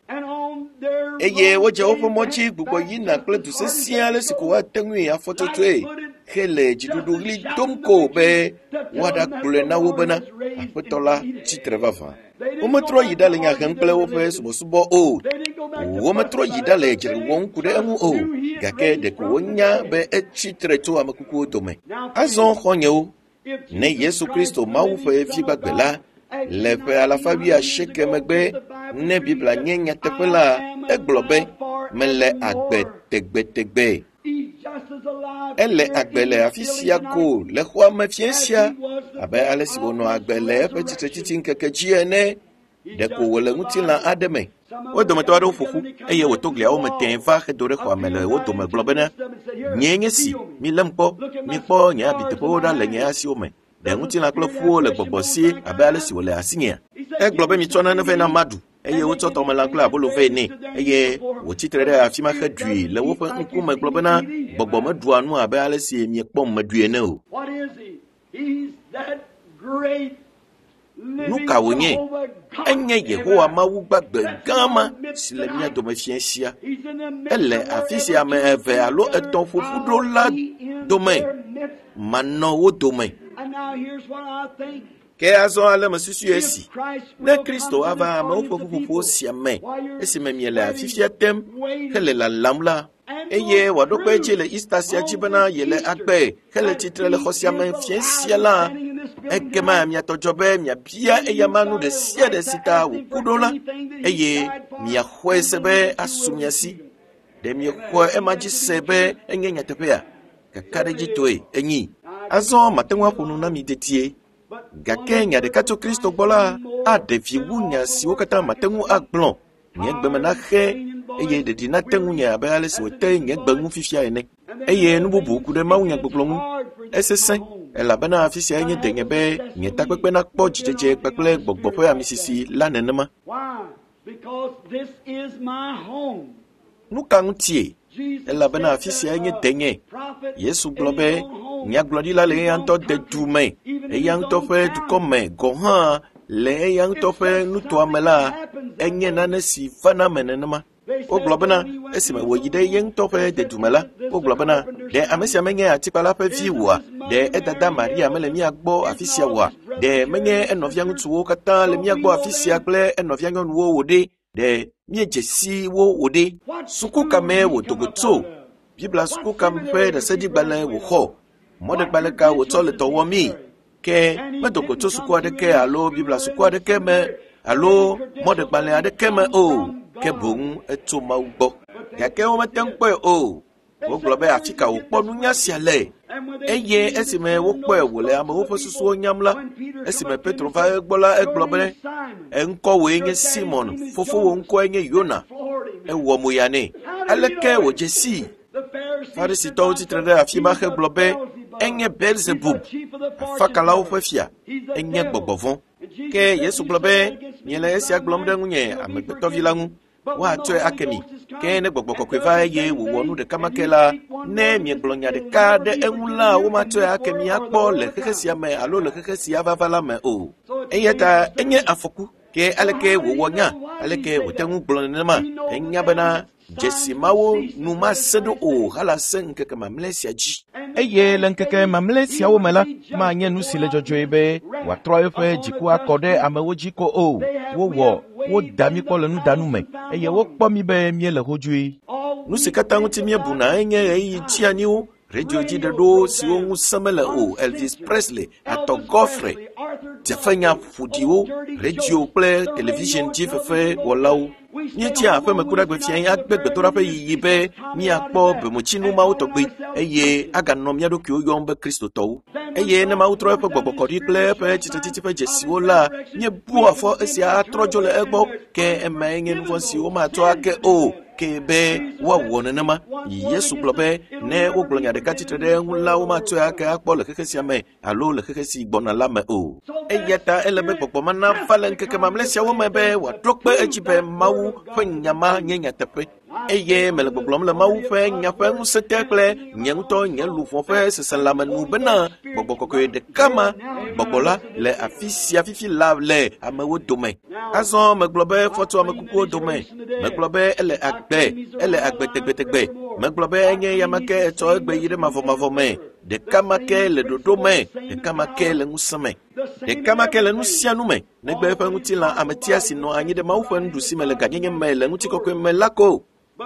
Eye wodze woƒe mɔ dzi gbugbɔ yina kple du sesẽ ale si ko woate ŋui afɔtsotsoe hele dziɖuɖu ɣli dom ko be woaɖagblɔe na wo bena Aƒetɔ la tsitre vavã. Wometrɔ yi ɖa le nya hem kple woƒe subɔsubɔ o. Wometrɔ yi ɖa le dzre wɔm ku ɖe eŋu o. Gake ɖeko wonya be etsi tre tso ame kukuwo dome. Azɔ xɔ̃nyewo, ne Yesu Kristo Mawu ƒe Vi gbagbe la, Le ƒe alafa wuiasieke megbe, ne Biblia nye nyateƒe la, egblɔ be, mele agbe tegbetegbe. Ele agbe le afi sia ko le xɔa me fiẽ sia abe ale si wònɔ agbe le eƒe tsitretsitsi ŋkeke dzi ene. Ɖeko wòle ŋutilã aɖe me. Wo dometɔ aɖewo ƒo ƒu eye wòto gliawo me tẽe va hedo ɖe xɔa me le wo dome gblɔ bena, nyee nye si, milém kpɔ, mikpɔ nye abiteƒewo ɖa le nye asiwo me. Ɖe ŋutilã kple ƒuwo le gbɔgbɔ si abe ale si wòle asinyea? Egblɔ be mitsɔ nane vɛ na maɖu eye wotsɔ tɔmelã kple abolo vɛ nɛ eye wòtsi tre ɖe afi ma heɖui le woƒe ŋkume gblɔ bena gbɔgbɔ meɖua nu abe ale si miekpɔm meɖui ene o. Nu ka wònye? Enye Yehowa Mawu gbagbe gã ma si le mía dome fiẽ sia. Ele afi sia ame eve alo etɔ̃ ƒo ƒu ɖo la dome. Manɔ wo dome. Ke azɔ ale mesusui esi, ne Kristo ava amewo ƒe ƒuƒoƒo sia me esime miele afifia tem hele lalam la, eye wòaɖo kpe edzi le Easter sia dzi bena yele agbe hele tsitre le xɔ sia me fiẽ sia la, ekema miatɔ dzɔ be miabia eyama nu ɖe sia ɖe si ta wòku ɖo la, eye miaxɔe se be asu mia si. Ɖe miexɔe ema dzi se be enye nyateƒea? Kakaɖedzitɔe enyi. Azɔ mate ŋu aƒo nu na mi dedie. Gake nya ɖeka tso Kristo gbɔ la aɖe vi wu nya siwo katã mate ŋu agblɔ. Nye gbe me naxe eye ɖeɖi nate ŋunye abe ale si wòte nye gbe ŋu fifia ene. Eye nu bubu ku ɖe mawunyagbɔgblɔ ŋu. Esesẽ elabena afi sia nye denye be nye takpekpe nakpɔ dzidzedze kpakple gbɔgbɔ ƒe amisisi la nenema. Nu ka ŋutie? Elabena afi sia nye denye. Yesu gblɔ be nyagblɔɖila le eya ŋutɔ de du me, eya ŋutɔ ƒe dukɔ me gɔ̃ hã le eya ŋutɔ ƒe nutoa me la, enye nane si vana me nenema. Wogblɔ bena esime wòyi ɖe ye ŋutɔ ƒe dedume la, wogblɔ bena ɖe ame sia menye atikpala ƒe vi oa? Ɖe edada Maria mele mía gbɔ afi sia oa? Ɖe menye enɔvia ŋutsuwo katã le mía gbɔ afi sia kple enɔvia nyɔnuwo o ɖe? Ɖe míedze si wo o ɖe? Suku ka mee wòdo go tso? Biblia suku ka ƒe ɖaseɖigbalẽ wòxɔ? Mɔɖegbalẽ ka wòtsɔ le dɔ wɔmii? Ke medo go tso suku aɖeke alo Biblia suku aɖeke me alo mɔɖegbalẽ aɖeke me o, ke boŋ etso Mawu gbɔ. Gake womete ŋu kpɔe o. Wogblɔ be afi ka wòkpɔ nunya sia le? Eye esime wokpɔe wòle amewo ƒe susuwo nyam la, esime Petro va egbɔ la, egblɔ be, eŋkɔwòe nye Simon, fofowò ŋkɔe nye Yona. Ewɔ moya nɛ. Aleke wòdze sii? Farisitɔwo tsitre ɖe afi ma hegblɔ be enye Beelzebub, afakalawo ƒe fia, enye gbɔgbɔ vɔ̃. Ke Yesu gblɔ be, miele esia gblɔm ɖe ŋunye amegbetɔvi la ŋu. Woatsɔe ake mi. Ke ne gbɔgbɔ kɔkɔe va eye wòwɔ nu ɖeka ma ke la, ne miegblɔ nya ɖeka ɖe eŋu la, womatsɔe ake mi akpɔ le xexe sia me alo le xexe sia vava la me o. Eya ta enye afɔku. Ke aleke wòwɔ nya? Aleke wòte ŋu gblɔ nenema? Enya bena dzesi mawo nu mase ɖo o hala se ŋkeke mamlɛ sia dzi. Eye le ŋkeke mamlɛ siawo me la, manye nu si le dzɔdzɔe be wòatrɔ eƒe dziku akɔ ɖe amewo dzi ko o. Wowɔ woda mí kpɔ le nudanu me eye wokpɔ mí be míele hodzoe. Nu si katã ŋuti míebuna enye ɣeyiɣi tsianyiwo, redio dzi ɖeɖewo siwo ŋusẽ mele o, Elvis Presley, Arthur Godfrey, dzefenya ƒoɖiwo, redio kple television dzi fefewɔlawo. Míetsia aƒemekuɖagbe fiẽ agbe gbedoɖaƒe yiyi be míakpɔ bometsinu mawo tɔgbi eye aganɔ mía ɖokuiwo yɔm be Kristotɔwo. Eye ne Mawu trɔ eƒe gbɔgbɔ kɔ ɖi kple eƒe tsitretsitsi ƒe dzesiwo la, míebua fɔ esia atrɔ dzo le egbɔ, ke emae nye nu vɔ̃ si womatsɔ ake o, ke be woawɔ nenema. Yesu gblɔ be ne wogblɔ nya ɖeka tsitre ɖe eŋu la, womatsɔe ake akpɔ le xexe sia me alo le xexe si gbɔna la me o. Eya ta ele be gbɔgbɔ ma nava le ŋkeke mamlɛ siawo me be wòaɖo kpe edzi be Mawu ƒe nya ma nye nyateƒe. Eye mele gbɔgblɔm le Mawu ƒe nya ƒe ŋusẽ te kple nye ŋutɔ nye luʋɔ ƒe seselãme nu bena gbɔgbɔ kɔkɔe ɖeka ma gbɔgbɔ la le afi sia fifi la le amewo dome. Azɔ megblɔ be fɔ tso ame kukuwo dome. Megblɔ be ele agbe, ele agbe tegbetegbe. Megblɔ be enye ya ma ke etsɔ egbe yi ɖe mavɔmavɔ me. Ɖeka ma ke le ɖoɖo me, ɖeka ma ke le ŋusẽ me. Ɖeka ma ke le nu sia nu me, negbe eƒe ŋutilã ametia si nɔ anyi ɖe Mawu ƒe nuɖusi me le gãnyenye me le ŋutikɔkɔe me la ko.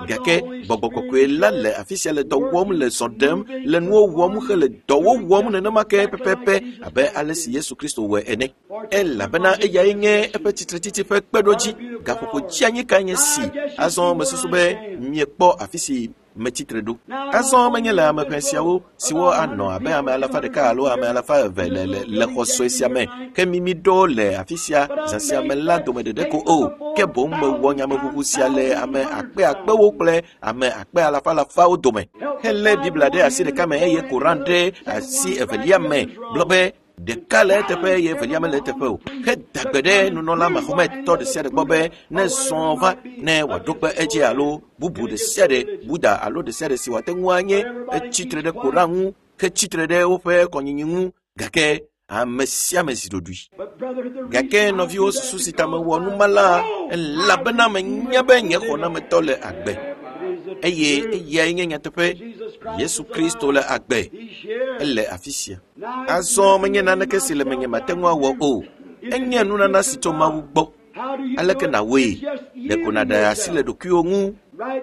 Gake gbɔgbɔ kɔkɔe la le afi sia le dɔ wɔm le zɔ ɖem le nuwo wɔm hele dɔwo wɔm nenema ke pɛpɛpɛ abe ale si Yesu Kristo wɔe ene. Elabena eyae nye eƒe tsitretsitsi ƒe kpeɖodzi. Gaƒoƒo dzianyi kae nye si azɔ mesusu be miekpɔ afi si metsitre ɖo. Azɔ menye le ame ʋɛ siawo siwo anɔ abe ame alafa ɖeka alo ame alafa eve le le le xɔ sue sia me ke mimi ɖo le afi sia zã sia me la dome ɖeɖe ko o ke boŋ mewɔ nyameʋuʋu sia le ame akpe akpewo kple ame akpe alafa alafawo dome helé Biblia ɖe asi ɖeka me eye Koran ɖe asi evelia me gblɔ be ɖeka le eteƒe eye evelia mele eteƒe o heda gbe ɖe nunɔla Mahometɔ ɖe sia ɖe gbɔ be ne zɔ va ne wòaɖo kpe edzi alo bubu ɖe sia ɖe Buddha alo ɖe sia ɖe si wòate ŋu anye etsitre ɖe Koran ŋu hetsitre ɖe woƒe kɔnyinyi ŋu gake ame sia ame zi ɖoɖoe. Gake nɔviwo susu si ta mewɔ nu ma la elabena menya be nye xɔnametɔ le agbe eye eyae nye nyateƒe. Yesu Kristo le agbe, ele afi sia. Azɔ menye naneke si le menye mate ŋu awɔ o. Enye nunana si tso Mawu gbɔ. Aleke nàwɔe? Ɖeko nàɖe asi le ɖokuiwò ŋu.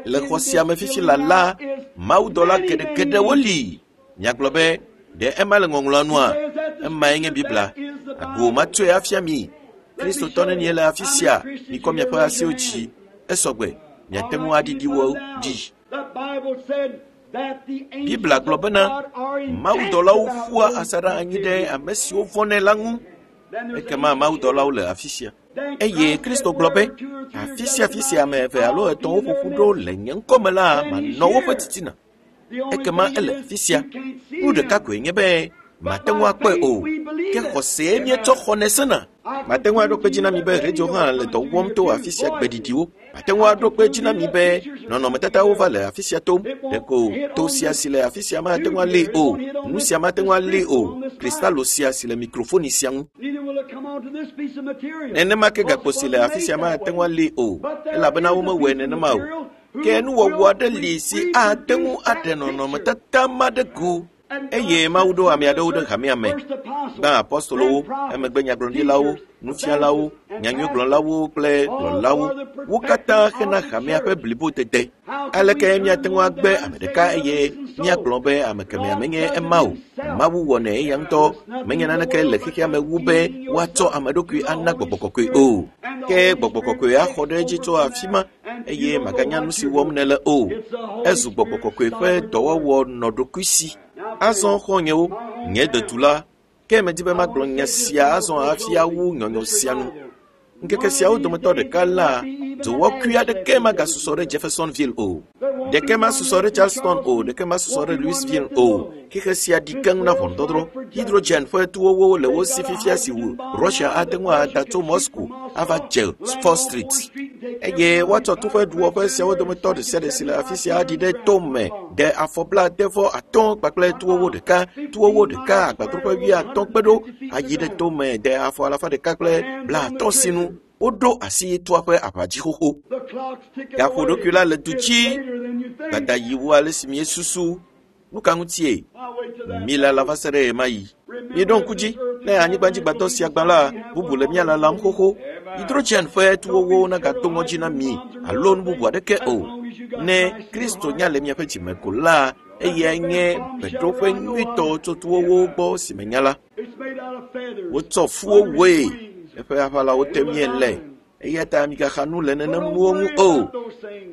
Le xɔ sia me fifi la la, mawudɔla geɖegeɖewo li. Miagblɔ be, ɖe ema le ŋɔŋlɔa nua? Emae nye Biblia. Ago matsɔe afia mi. Kristotɔ nenie le afi sia? Mikɔ miaƒe asiwo dzi. Esɔgbe. Miate ŋu aɖiɖi wo ɖi. Biblia gblɔ bena mawudɔlawo ƒua asaɖa anyi ɖe ame siwo vɔ̃nɛ la ŋu. Ekema mawudɔlawo le afi sia. Eye Kristo gblɔ be, afi sia afi sia ame eve alo etɔ̃wo ƒoƒu ɖo le nye ŋkɔme la, manɔ woƒe titina. Ekema ele afi sia. Nu ɖeka koe nye be mate ŋu akpɔe o. Ke xɔsee míetsɔ xɔnɛ sena. Mate ŋu aɖo kpe dzi na mi be radio hã le dɔ wɔm to afi sia gbeɖiɖiwo. Mate ŋu aɖo kpe dzi na mi be nɔnɔmetatawo va le afi sia tom. Ɖeko to sia si le afi sia mate ŋu alée o. Nu sia mate ŋu alée o. Kristalo sia si le mikrofoni sia ŋu. Nenema ke gakpo si le afi sia mate ŋu alée o. Elabena womewɔe nenema o. Ke nuwɔwɔ aɖe li si ate ŋu aɖe nɔnɔmetata ma ɖe go. Eye Mawu ɖo ame aɖewo ɖe hamea me. Gbã apostolowo, emegbe nyagblɔɖilawo, nufialawo, nyanyuigblɔlawo kple kplɔlawo. Wo katã hena hamea ƒe blibodede. Aleke míate ŋu agbe ame ɖeka eye míagblɔ be ame kemɛa menye ema o? Mawu wɔnɛ eya ŋutɔ. Menye naneke le xexea me wu be woatsɔ ame ɖokui ana gbɔgbɔ kɔkɔe o. Ke gbɔgbɔ kɔkɔe axɔ ɖe edzi tso afi ma eye maganya nu si wɔm nèle o. Ezu gbɔgbɔ kɔkɔe ƒe dɔwɔwɔ nɔ ɖokui si. Azɔ xɔ̃nyewo, nye detula, ke medi be magblɔ nya sia azɔ hafi awu nyɔnyɔ sia nu. Ŋkeke siawo dometɔ ɖeka la, dowɔkui aɖeke magasusɔ ɖe Jeffersonville o. Ɖeke masusɔ ɖe Charleston o, ɖeke masusɔ ɖe Louisville o. Xexe sia ɖi keŋ na ʋɔnudɔdrɔ̃. Hydrogen ƒe tuwowo le wo si fifia si wu Russia ate ŋu ada tso Moscow ava dze Fourth Street. Eye woatsɔ tu ƒe ɖuwɔƒe siawo dometɔ ɖe sia ɖe si le afi sia aɖi ɖe to me ɖe afɔ 75 kpakple tuwowo ɖeka, tuwowo ɖeka agbadroƒe 50 kpe ɖo ayi ɖe to me ɖe afɔ 150 sinu. Woɖo asi tua ƒe aʋadzi xoxo. Gaƒoɖokui la le du dzi. Dada yi wu ale si míesusu. Nu ka ŋutie? Mi lala va se ɖe ɣemaɣi. Miɖo ŋku dzi, ne anyigbadzigbadɔ sia gbã la, bubu le mía lalam xoxo. Hydrogen ƒe tuwowo nagado ŋɔdzi na mi alo nu bubu aɖeke o. Ne Kristo nya le miaƒe dzime ko la, eyae nye gbeɖoƒe nyuitɔ tso tuwowo gbɔ si menya la. Wotsɔ fuwo wɔe, eƒe aʋalawo te míele. Eya ta migaxa nu le nenem nuwo ŋu o,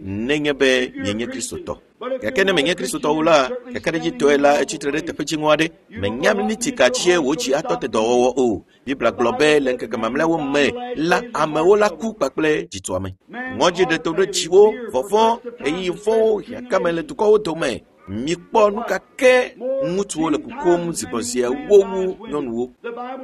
nenye be mienye Kristotɔ. Gake ne menye Kristotɔwo la, kakaɖedzitɔe la etsitre ɖe teƒe dziŋɔ aɖe. Menya miniti ka dzie wò dzi atɔ te dɔwɔwɔ o. Biblia gblɔ be le ŋkeke mamlɛawo me la, amewo la ku kpakple dzitɔame. Ŋɔdzi ɖe to ɖe dziwo, vɔvɔ̃, ɣeyiɣi vɔ̃wo, hiãkame le dukɔwo dome. Mikpɔ nu ka ke ŋutsuwo le kukum zigbɔzie wu nyɔnuwo.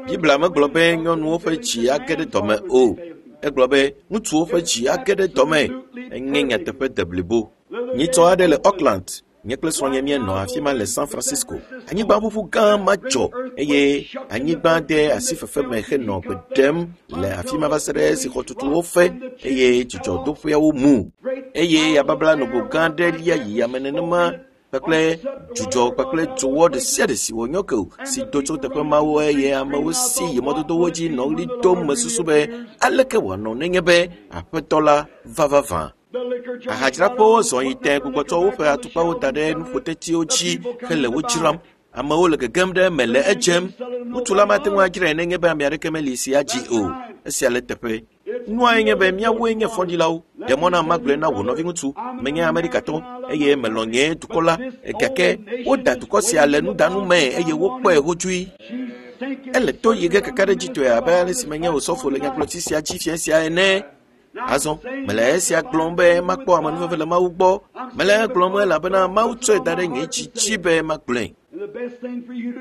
Biblia megblɔ be nyɔnuwo ƒe dzi age ɖe dɔme o. Egblɔ be ŋutsuwo ƒe dzi age ɖe dɔme. Enye nyateƒe deblibo. Nyitsɔ aɖe le Auckland, nye kple srɔ̃nye míenɔ afi ma le San Francisco. Anyigbaʋuʋu gã ma dzɔ eye anyigba de asi fefe me henɔ gbe ɖem le afi ma va se ɖe esi xɔtutuwo fe eye dzidzɔdoƒeawo mu. Eye yababla nogo gã aɖe lia yi yame nenema kpakple dzudzɔ kpakple dzowɔ ɖe sia ɖe si wònyɔ ke o si do tso teƒe mawo eye amewo si yi mɔdodowo dzi nɔ ɣli dom mesusu be aleke wòanɔ nenye be aƒetɔ la va vavã. Ahadzraƒewo zɔ yi tẽ gbugbɔtsɔ woƒe atukpawo da ɖe nuƒotetiwo dzi hele wo dzram. Amewo le gegem ɖe eme le edzem. Ŋutsu la mate ŋu adzrae nenye be ame aɖeke meli si adzi o. Esia le teƒe. Nuae nye be míawoe nye fɔɖilawo. Ɖe mɔ na magblɔe na wò nɔviŋutsu. Menye Amerikatɔ eye melɔ̃ nye dukɔ la. Gake woda dukɔ sia le nudanu me eye wokpɔe hotsui. Ele to yi ge kakaɖedzitɔe abe ale si menye osɔfo le nyagblɔtsi sia dzi fia sia ene. Azɔ mele esia gblɔm be makpɔ amenuveve le Mawu gbɔ. Mele egblɔm elabena Mawu tsɔe da ɖe nye dzi dzi be magblɔe.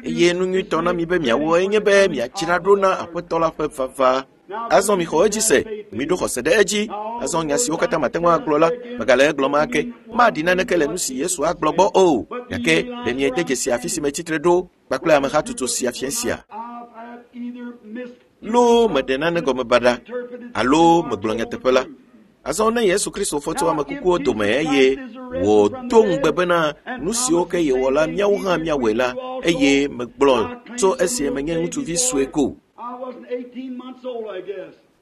Eye nu nyuitɔ na mi be miawɔ enye be miadzra ɖo na Aƒetɔ la ƒe vava. Azɔ mixɔ edzi se, miɖo xɔse ɖe edzi. Azɔ nya siwo katã mate ŋu agblɔ la, megale egblɔm ake. Maɖi naneke le nu si Yesu agblɔ gbɔ o. Gake ɖe miede dzesi afi si metsitre ɖo kpakple amehatsotso sia fia sia. Loo meɖe nane gɔme baɖa alo megblɔ nyateƒe la. Azɔ ne Yesu Kristo fɔ tso ame kukuwo dome eye wòdo ŋugbe bena nu siwo ke yewɔ la míawo hã míawɔe la eye megblɔ tso esi menye ŋutsuvi sue ko.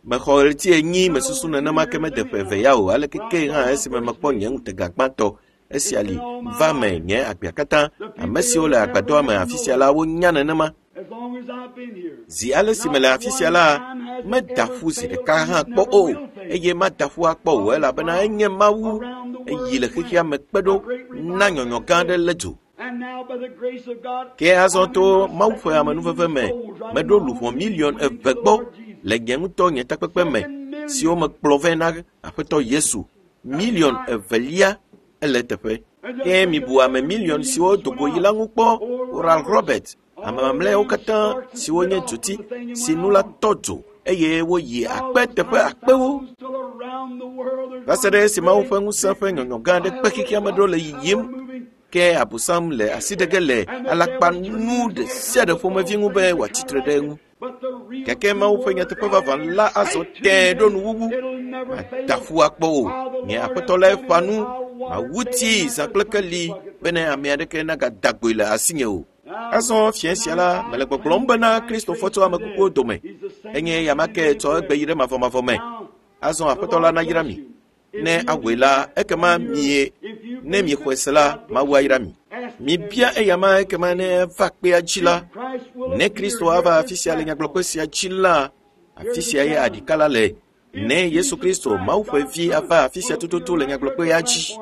Mexɔ ɣleti enyi mesusu nenema ke mede ƒe eve ya o aleke ke hã esime mekpɔ nye ŋutega gbãtɔ esia li va me nye agbea katã. Ame siwo le agbadɔa me afi sia la wonya nenema. Zi ale si mele afi sia la, meda ƒu zi ɖeka hã kpɔ o eye mada ƒu akpɔ o elabena enye Mawu eyi le xexea me kpe ɖo na nyɔnyɔ gã aɖe lé dzo. Ke azɔ to Mawu ƒe amenuveve me, meɖo luʋɔ miliɔn eve gbɔ le nye ŋutɔ nye takpekpe me siwo mekplɔ vɛ na Aƒetɔ Yesu. Miliɔn evelia ele teƒe. Ke mibu ame miliɔn siwo do go yi la ŋu kpɔ. Oral Robert, ame mamlɛawo katã siwo nye dzoti si nu la tɔ dzo eye woyi akpe teƒe akpewo. Va se ɖe esi Mawu ƒe ŋusẽ ƒe nyɔnyɔ gã aɖe kpe xexea me ɖo le yiyim ke Abosam le asi ɖe ge le alakpanu ɖe sia ɖe ƒomevi ŋu be wòatsi tre ɖe eŋu. Gake Mawu ƒe nyateƒe vavã la azɔ tẽe ɖo nuwuwu. Mada ƒu akpɔ o. Nye Aƒetɔ lae ƒã nu. Mawu tii zã kple keli bene ame aɖeke nagada goe le asinye o. Azɔ fia sia la, mele gbɔgblɔm bena Kristo fɔ tso ame kukuwo dome. Enye ya ma ke tsɔ egbe yi ɖe mavɔmavɔ me. Azɔ Aƒetɔ la nayra mi. Ne awɔe la, ekema mie ne miexɔe se la, Mawu ayra mi. Mibia eya ma ekema ne eva kpea dzi la, ne Kristo ava afi sia le nyagblɔkpe sia dzi la, afi sia ye aɖika la le. Ne Yesu Kristo, Mawu ƒe vi ava afi sia tututu le nyagblɔkpea dzi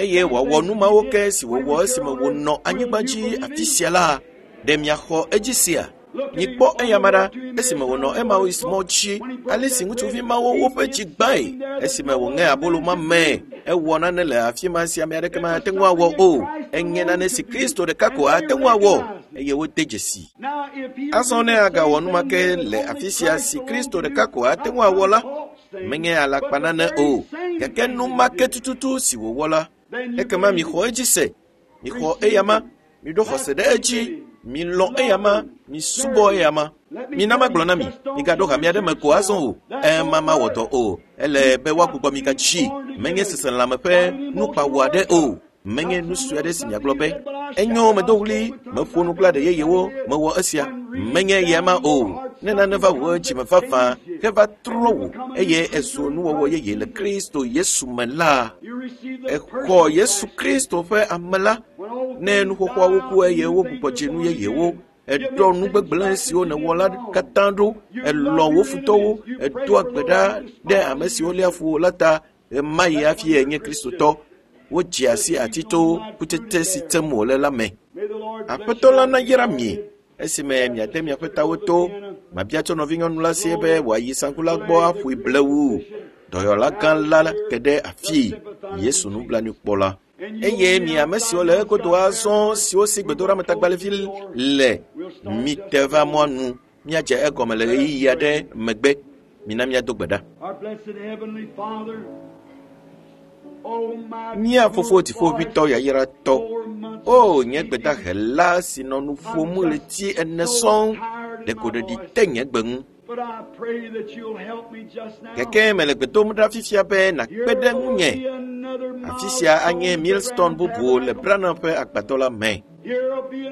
eye wòawɔ nu mawo ke si wòwɔ esime wònɔ anyigba dzi afi sia la, ɖe miaxɔ edzi sia? Mikpɔ eyama ɖa esime wònɔ Emmaus mɔ dzi, ale si ŋutsuvi mawo woƒe dzi gbãe esime wòŋe abolo ma me. Ewɔ nane le afi ma si ame aɖeke mate ŋu awɔ o. Enye nane si Kristo ɖeka ko ate ŋu awɔ eye wode dzesi. Azɔ ne agawɔ nu ma ke le afi sia si Kristo ɖeka ko ate ŋu awɔ la, menye alakpa nane o, gake nu ma ke tututu si wòwɔ la, ekema mixɔ edzi se, mixɔ eyama, miɖo xɔse ɖe edzi, milɔ̃ eyama, misubɔ eyama. Mina magblɔ na mi, migaɖo hame aɖe me ko azɔ o. Ema mawɔ dɔ o. Ele be woagbugbɔ mi gadzi. Menye seselãme ƒe nukpawɔ aɖe o. Menye nu sue aɖe si miagblɔ be, enyo medo ɣli, meƒo nu kple aɖe yeyewo, mewɔ esia. Menye eya ma o. Ne nane va wò dzime vavã heva trɔ wò eye èzu nuwɔwɔ yeye le Kristo Yesu me la, èxɔ Yesu Kristo ƒe ame la. Ne nu xoxoawo ku eye wogbugbɔ dzi nu yeyewo, èɖɔ nu gbegblẽ siwo nèwɔ la katã ɖo, èlɔ̃ wò futɔwo, èdoa gbe ɖa ɖe ame siwo léa fu wò la ta, ɣemaɣi hafi ènye Kristotɔ. Wodzea si ati to kutsetse si tsem wòle la me. Aƒetɔ la nayra mi esime miade miaƒe tawo to. Mabia tso nɔvinyɔnu la sie be wòayi saŋku la gbɔ aƒoe blewu. Dɔyɔla gã la te ɖe afii, Yesu nublanuikpɔla. Eye mi ame siwo le egodo azɔ siwo si gbedoɖametagbalẽvi le, mite va mɔa nu míadze egɔme le ɣeyiɣi aɖe megbe. Mina míado gbe ɖa. Mía fofo dziƒoʋĩtɔ yayratɔ, o nye gbedahela si nɔ nu ƒom ɣleti ene sɔŋ, ɖeko ɖeɖi te nye gbe ŋu. Gake mele gbe dom ɖa fifia be nàkpe ɖe ŋunye. Afi sia anye Millstone bubu le Branham ƒe agbadɔ la me.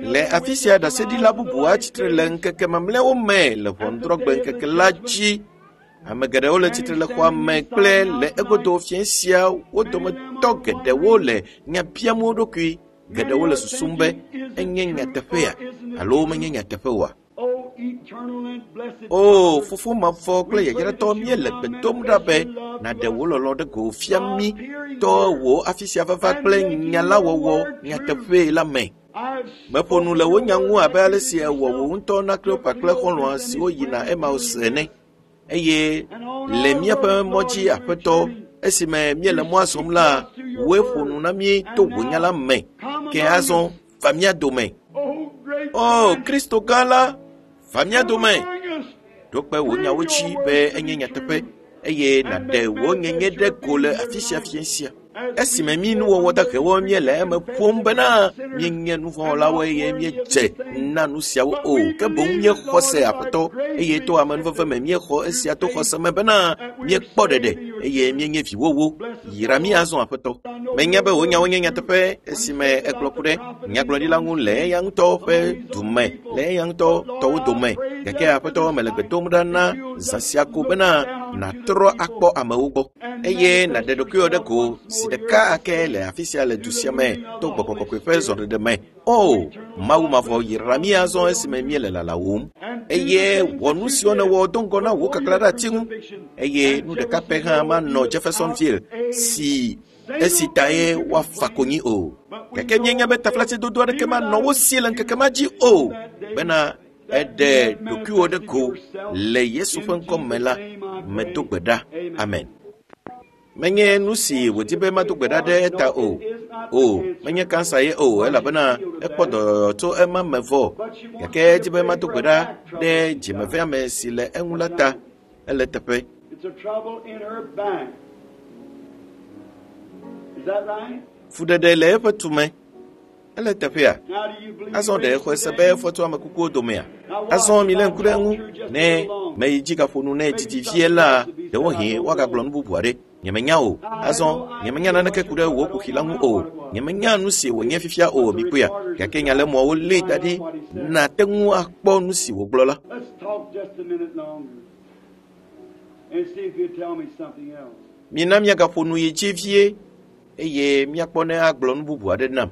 Le afi sia ɖaseɖila bubu atsitre le ŋkeke mamlɛawo me le ʋɔnudrɔ̃gbe ŋkeke la dzi. Ame geɖewo le tsitre le xɔa me kple le egodo fiẽ sia wo dometɔ geɖewo le nya biam wo ɖokui. Geɖewo le susum be enye nyateƒea alo menye nyateƒe oa. O Fofo mavɔ kple yayratɔ, míele gbe dom ɖa be nàɖe wò lɔlɔ̃ ɖe go fia mí tɔ wò afi sia vava kple nya la wɔwɔ nyateƒee la me. Meƒo nu le wò nya ŋu abe ale si èwɔ wò ŋutɔ na Kleopa kple xɔlɔ̃a siwo yina Emaus ene. Eye le míaƒe mɔ dzi Aƒetɔ, esime míele mɔa zɔm la, wòe ƒo nu na mí to wò nya la me. Ke azɔ va mía dome. O Kristo gã la, va mía dome. Ɖo kpe wò nyawo dzi be enye nyateƒe eye nàɖe wò nyenye ɖe go le afi sia fiẽ sia. Esime mí nuwɔwɔ dahewo míele eme ƒom bena míenye nuvɔ̃wɔlawo eye míedze na nu siawo o, ke boŋ míexɔ se Aƒetɔ eye to amenuveve me míexɔ esia to xɔse me bena míekpɔ ɖeɖe eye míenye viwòwo. Yra mí azɔ Aƒetɔ. Menya be wò nyawo nye nyateƒe esime egblɔ ku ɖe nyagblɔɖila ŋu le eya ŋutɔ ƒe dume, le eya ŋutɔ tɔwo dome. Gake Aƒetɔ, mele gbe dom ɖa na zã sia ko bena nàtrɔ akpɔ amewo gbɔ eye nàɖe ɖokuiwò ɖe go si ɖeka ake le afi sia le du sia me to gbɔgbɔ kɔkɔe ƒe zɔɖeɖe me. O Mawu mavɔ, yra mí azɔ esime míele lalawòm eye wɔ nu siwo nèwɔ do ŋgɔ na wò kaklã ɖe ati ŋu eye nu ɖeka pɛ hã manɔ Jeffersonville si esi tae woafa konyi o. Gake míenya be taflatsedodo aɖeke manɔ wo si le ŋkeke ma dzi o bena eɖe ɖokuiwò ɖe go le Yesu ƒe ŋkɔ me la, medo gbe ɖa. Amen. Menye nu si wòdi be mado gbe ɖa ɖe eta o. O, menye kansa ye o, elabena ekpɔ dɔyɔyɔ tso ema me vɔ. Gake edi be mado gbe ɖa ɖe dzimeveame si le eŋu la ta. Ele teƒe. Fuɖeɖe le eƒe tume. Ele teƒea. Azɔ ɖe exɔe se be efɔ tso ame kukuwo domea? Azɔ milé ŋku ɖe eŋu. Ne meyi dzi gaƒo nu nɛ didi vie la, ɖewohĩ woagagblɔ nu bubu aɖe. Nyemenya o. Azɔ nyemenya naneke ku ɖe wò kuxi la ŋu o. Nyemenya nu si wònye fifia o, mikpɔea. Gake nyalémɔawo lée da ɖi nàte ŋu akpɔ nu si wògblɔ la. Mina míagaƒo nu yi dzi vie eye míakpɔ ne agblɔ nu bubu aɖe nam.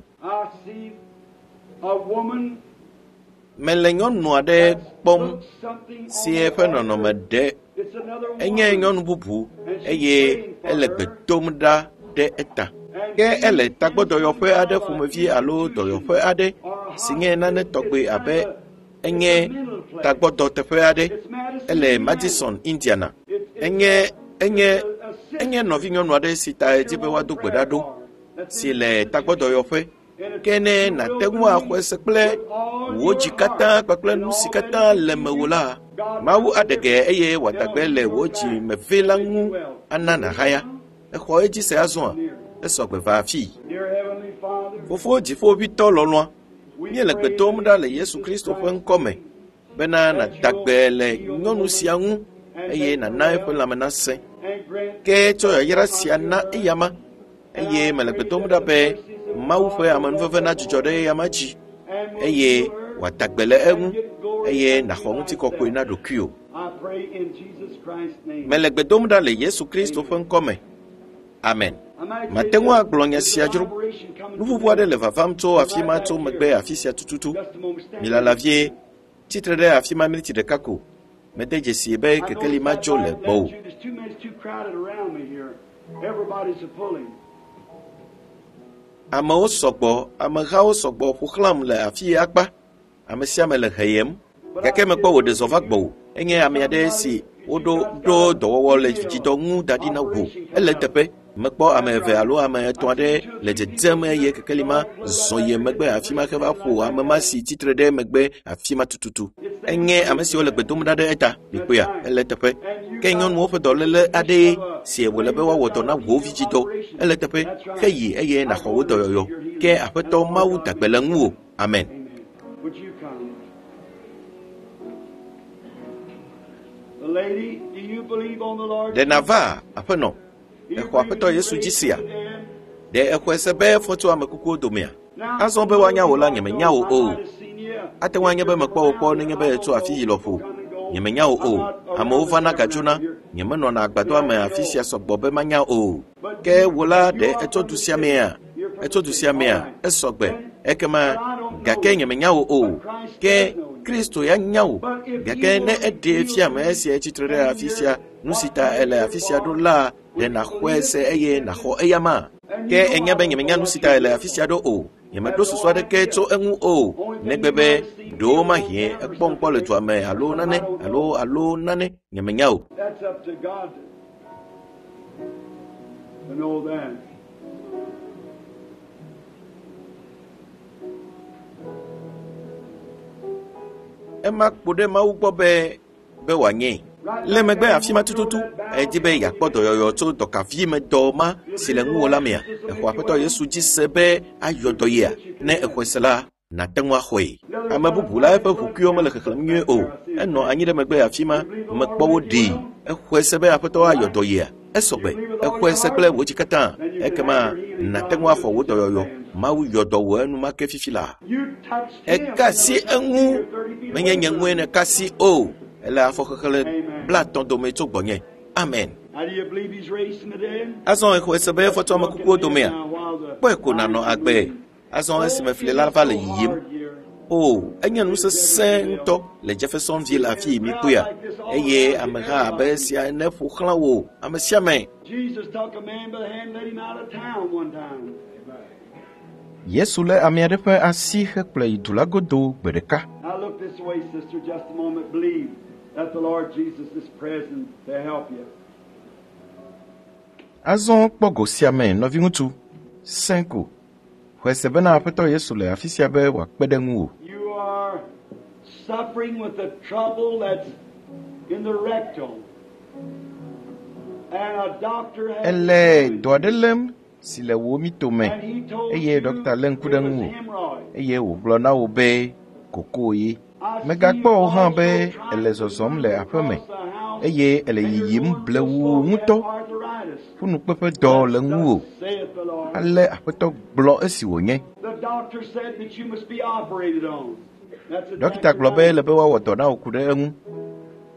Mele nyɔnu aɖe kpɔm si eƒe nɔnɔme ɖe. Enye nyɔnu bubu eye ele gbe dom ɖa ɖe eta. Ke ele tagbɔdɔyɔƒe aɖe ƒomevi alo dɔyɔƒe aɖe si nye nane tɔgbe abe enye tagbɔdɔteƒe aɖe. Ele Madison, Indiana. Enye enye enye nɔvinyɔnu aɖe si ta edzi be woado gbe ɖa ɖo si le tagbɔdɔyɔƒe. Ke ne nàte ŋu axɔe se kple wò dzi katã kpakple nu si katã le mewò la, Mawu aɖe ge eye wòada gbe le wò dzimeve la ŋu ana nàhaya. Exɔ edzi se azɔa? Esɔ gbe va afii. Fofo dziƒoʋĩtɔ lɔlɔ̃a, míele gbe dom ɖa le Yesu Kristo ƒe ŋkɔ me bena nàda gbe le nyɔnu sia ŋu eye nàna eƒe lãme nasẽ. Ke tsɔ yayra sia na eyama eye mele gbe dom ɖa be Mawu ƒe amenuveve nadzudzɔ ɖe eyama dzi eye wòada gbe le eŋu eye nàxɔ ŋutikɔkɔe na ɖokuiwò. Mele gbe dom ɖa le Yesu Kristo ƒe ŋkɔ me. Amen. Mate ŋu agblɔ nya sia dzro. Nuƒoƒo aɖe le vavam tso afi ma tso megbe afi sia tututu. Milala vie. Tsitre ɖe afi ma miniti ɖeka ko. Mede dzesi be kekeli ma dzo le gbɔwò. Amewo sɔgbɔ, amehawo sɔgbɔ ƒo xlãm le afi akpa. Ame sia ame le heyem. Gake mekpɔ wò ɖe zɔ va gbɔwò. Enye ame aɖe si woɖo ɖo dɔwɔwɔ le vidzidɔ ŋu da ɖi na wò. Ele teƒe. Mekpɔ ame eve alo ame etɔ̃ aɖe le dzedzem eye kekeli ma zɔ yi megbe afi ma heva ƒo ame ma si tsitre ɖe megbe afi ma tututu. Enye ame siwo le gbe dom ɖa ɖe eta. Mikpɔea, ele teƒe. Ke nyɔnuwo ƒe dɔléle aɖee si wòle be woawɔ dɔ na wò vidzidɔ. Ele teƒe. Heyi eye nàxɔ wò dɔyɔyɔ. Ke Aƒetɔ Mawu da gbe le ŋuwò. Amen. Ɖe nàva, Aƒenɔ? Exɔ Aƒetɔ Yesu dzi sia? Ɖe exɔe se be efɔ tso ame kukuwo domea? Azɔ be woanya wò la, nyemenya wò o. Ate ŋu anye be mekpɔ wò kpɔ nenye be ètso afi yi lɔƒo. Nyemenya wò o. Amewo vana gadzona. Nyemenɔna agbadɔa me afi sia sɔgbɔ be manya o. Ke wò la ɖe etso du sia mea? Etso du sia mea? Esɔgbe. Ekema gake nyemenya wò o. Ke Kristo ya nya wò. Gake ne eɖee fia ame esia tsitre ɖe afi sia, nu si ta ele afi sia ɖo la, ɖe nàxɔe se eye nàxɔ eyama. Ke enya be nyemenya nu si ta ele afi sia ɖo o. Nyemeɖo susu aɖeke tso eŋu o, negbe be ɖewo mahie ekpɔ ŋkpɔ le dua me alo nane alo nane nyemenya o. That's up to God to know that. Ema kpo ɖe Mawu gbɔ be wòanye. Le megbe afi ma tututu, edi be yeakpɔ dɔyɔyɔ tso dɔkavi me dɔ ma si le ŋuwò la mea. Exɔ Aƒetɔ Yesu dzi se be ayɔ dɔ yea. Ne exɔe se la, nàte ŋu axɔe. Ame bubu la eƒe ʋukuiwo mele xexlẽm nyuie o. Enɔ anyi ɖe megbe afi ma, mekpɔ wo ɖee. Exɔe se be Aƒetɔ ayɔ dɔ yea. Esɔgbe. Exɔe se kple wò dzi katã. Ekema nàte ŋu axɔ wò dɔyɔyɔ. Mawu yɔ dɔ wò enumake fifi la. Eka asi eŋu. Menye nye ŋue nèka asi o. Ele afɔxexlẽ 50 dome tso gbɔnye. Amen. Azɔ exɔe se be efɔ tso ame kukuwo domea? Kpɔe ko nànɔ agbe. Azɔ esime fli la va le yiyim. O, enye nu sesẽ ŋutɔ le Jeffersonville afi yi mikpɔea. Eye ameha abe esia ene ƒo xlã wò ame sia ame. Jesus took a man by the hand and led him out of town one time. Yesu lé ame aɖe ƒe asi hekplɔe yi du la godo gbe ɖeka. Now look this way, sister, just a moment. Believe that the Lord Jesus is present to help you. Azɔ kpɔ go sia me, nɔviŋutsu, sẽ ko. Xɔe se bena Aƒetɔ Yesu le afi sia be wòakpe ɖe ŋuwò. You are suffering with the trouble that's in the rectum. And a doctor has Ele dɔ aɖe lém si le wò mitome and he told eye you dɔkta lé ŋku ɖe it was ŋuwò hemorrhoid. eye wògblɔ na wò be koko ye. Megakpɔ wò hã be ele zɔzɔm le aƒe me eye ele yiyim blewuu ŋutɔ. Ƒunukpeƒe dɔ le ŋuwò. Saith the Lord. Ale Aƒetɔ gblɔ esi wònye. The doctor said that you must be operated on. That's Dɔkta gblɔ be ele be woawɔ dɔ na wò ku ɖe eŋu.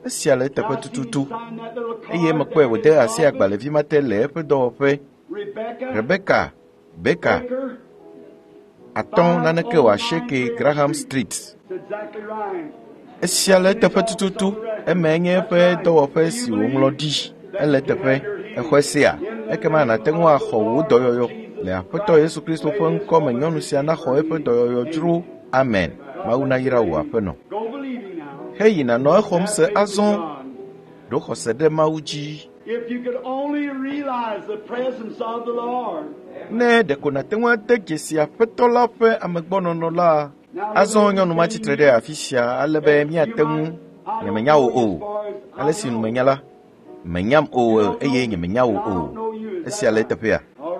Esia le eteƒe tututu eye mekpɔe wòde asi agbalẽvi ma te le eƒe dɔwɔƒe. Rebecca, Rebecca Baker Baker, 5 naneke wòasieke Graham Street. That's exactly right. Esia le eteƒe tututu. Emae nye eƒe dɔwɔƒe si wòŋlɔ ɖi. Ele eteƒe. Exɔe sea. Ekema nàte ŋu axɔ wò dɔyɔyɔ. Le Aƒetɔ Yesu Kristo ƒe ŋkɔ me nyɔnu sia naxɔ eƒe dɔyɔyɔ dzro. Amen. Mawu nayra wò aƒenɔ. Go believing now. Heyi nànɔ exɔm se Have faith in azɔ. God. Ɖo xɔse ɖe Mawu dzi. If you could only realize the presence of the Lord. Ne ɖeko nàte ŋu ade dzesi Aƒetɔ la ƒe amegbɔnɔnɔ la. Azɔ nyɔnu ma tsitre ɖe afi sia ale be míate ŋu. Nyemenya wò o. Ale si nu menya la, menyam o eye nyemenya wò o. Esia le eteƒea.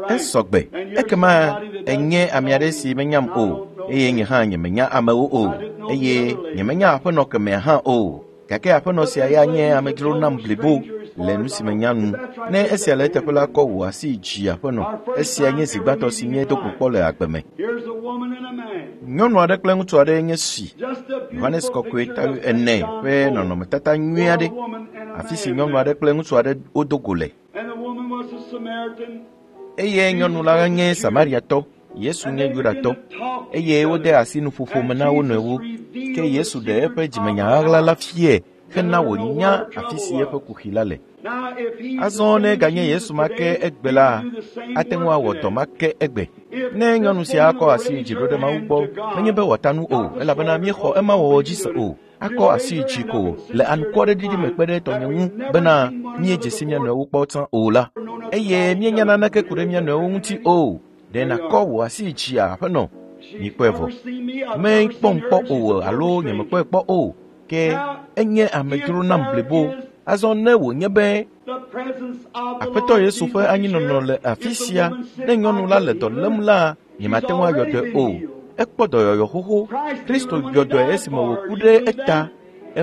Esɔgbe. Ekema enye ame aɖe si menyam o eye nye hã nyemenya amewo o eye nyemenya aƒenɔ kemɛa hã o. Gake aƒenɔ sia ya nye amedzro nam blibo le nu si menya nu. Ne esia le eteƒe la, kɔ wò asi dzi aƒenɔ. Esia nye zi gbãtɔ si míedo go kpɔ le agbe me. Here's a woman and a man. Nyɔnu aɖe kple ŋutsu aɖe nye si. Just a Yohanes beautiful Kɔkɔe picture ta of Saint ene John ƒe Paul. nɔnɔmetata nyui aɖe. A woman and a Afi si man nyɔnu met. aɖe kple ŋutsu aɖe wodo go le. And the woman was a Samaritan. Eye nyɔnu la nye Samariatɔ, Yesu And nye they began Yudatɔ. to talk to Eye each wode other. asi nuƒoƒo me And na wo Jesus nɔewo. Ke revealed the Yesu ɖe secret eƒe dzimenya of the ɣaɣla la house. fiae hena Let her know wònya where her afi si trouble eƒe was. kuxi la le. Now, if he's the Azɔ ne same ganye Jesus Yesu ma ke today, egbe he la, would do the same ate ŋu work awɔ dɔ today. ma ke egbe. If Ne nyɔnu this sia woman akɔ will asi raise dzi ɖo her ɖe Mawu hand gbɔ, to God, menye be wòata nu o, not the elabena sword míexɔ because ema we wɔwɔ dzi believe se in o. it. Akɔ Just asi raise her dzi hand ko up and le sister in anukwɔɖeɖiɖi me line kpe ɖe that tɔnye ŋu we've never bena seen one another míedze si mía before nɔewo kpɔ tsã o la. or know nothing Eye about each míenya other. naneke Will ku you ɖe raise mía up nɔewo your ŋuti hand? o. Ɖe There you nàkɔ are. wò asi dzia aƒenɔ? She's Mikpɔe vɔ. never seen me. I've never Mekpɔm seen her, kpɔ and she's o a total alo stranger. nyemekpɔe kpɔ o. Ke Now, enye if amedzro nam there blibo. is Azɔ ne wònye be the presence of the Aƒetɔ Lord Yesu ƒe Jesus is anyinɔnɔ here, le afi if the sia, woman sick, ne I nyɔnu la le couldn't dɔ heal lém her. la, She's nyemate ŋu ayɔ already dɔe been o. healed. Ekpɔ dɔyɔyɔ xoxo. Christ Kristo healed her when he yɔ dɔe died esime for her. wòku Do you ɖe believe eta. that?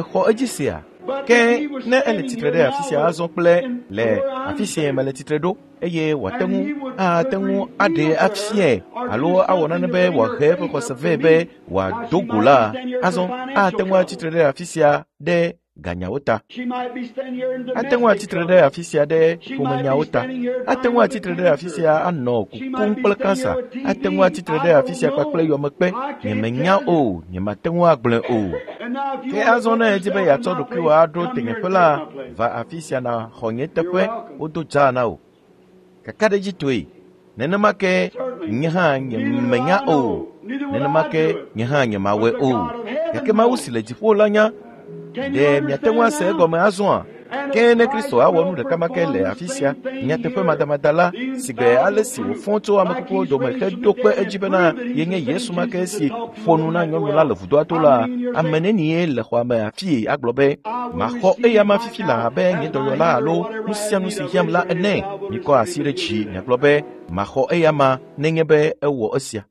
Exɔ edzi sea. But if Ke he was ne ele standing tsitre here ɖe afi now sia with, azɔ kple in le where I'm afi si standing, mele tsitre ɖo eye wòate and ŋu he would, ate could ŋu aɖee reveal to her afiae or alo do awɔ something nane to be bring her wòahe eƒe faith xɔse up vɛ to be me. Now wòado she go might la, be standing here for azɔ financial ate ŋu trouble. atsitre ɖe afi sia ɖe Ganyawo ta. Ate ŋu atsitre ɖe afi sia ɖe ƒomenyawo ta. Ate ŋu atsitre ɖe afi sia anɔ kukum kple kansa. Ate ŋu atsitre ɖe afi sia kpakple yɔmekpe. Nyemenya o, nyemate ŋu agblɔe o. Ke azɔ ne edzi be yeatsɔ ɖokuiwò aɖo tenyeƒe la, va afi sia nàxɔ nye teƒe wodo dzaa na wò. Kakaɖedzitɔe, nenema ke nye hã nyemenya o, nenema ke nye hã nyemawɔe o. Gake Mawu si le dziƒo la nya. Ɖe miate ŋu ase egɔme azɔa? Ke ne Kristo awɔ nu ɖeka ma ke le afi sia, nyateƒe madamada la, si gbe ale si wòfɔ tso ame kukuwo dome heɖo kpe edzi bena yenye Yesu ma ke si ƒo nu na nyɔnu la le vudoa to la, ame nenie le xɔa me afii agblɔ be, maxɔ eya ma fifi la abe nye dɔyɔla alo nu sia nu si hiãm la ene. Mikɔ asi ɖe dzi miagblɔ be, maxɔ eya ma nenye be ewɔ esia.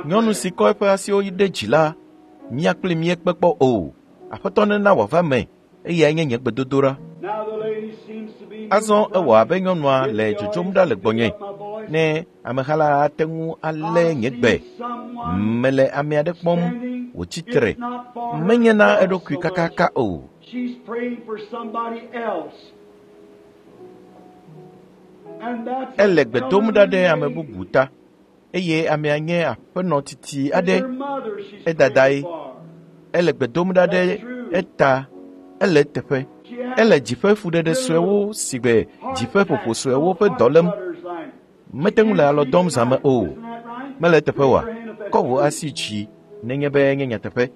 Nyɔnu si kɔ eƒe asiwo ɖe dzi la, mía kpli míekpe kpɔ o. Aƒetɔ nena wòava me, eyae nye nye gbedodoɖa. Azɔ ewɔ abe nyɔnua le dzodzom ɖa le gbɔnye. Ne ameha la ate ŋu alé nye gbe. Mele ame aɖe kpɔm wòtsi tre. Menye na eɖokui kakaka o. Ele gbe dom ɖa ɖe ame bubu ta. Eye amea nye aƒenɔ titi aɖe, edadae. Ele gbe dom ɖa ɖe eta, ele eteƒe. Ele dziƒe fuɖeɖe suewo si gbe dziƒe ƒoƒo suewo ƒe dɔ lém. Mete ŋu le alɔ dɔm zãme o. Mele eteƒe oa? Kɔ wò asi dzi nenye be nye nyateƒe.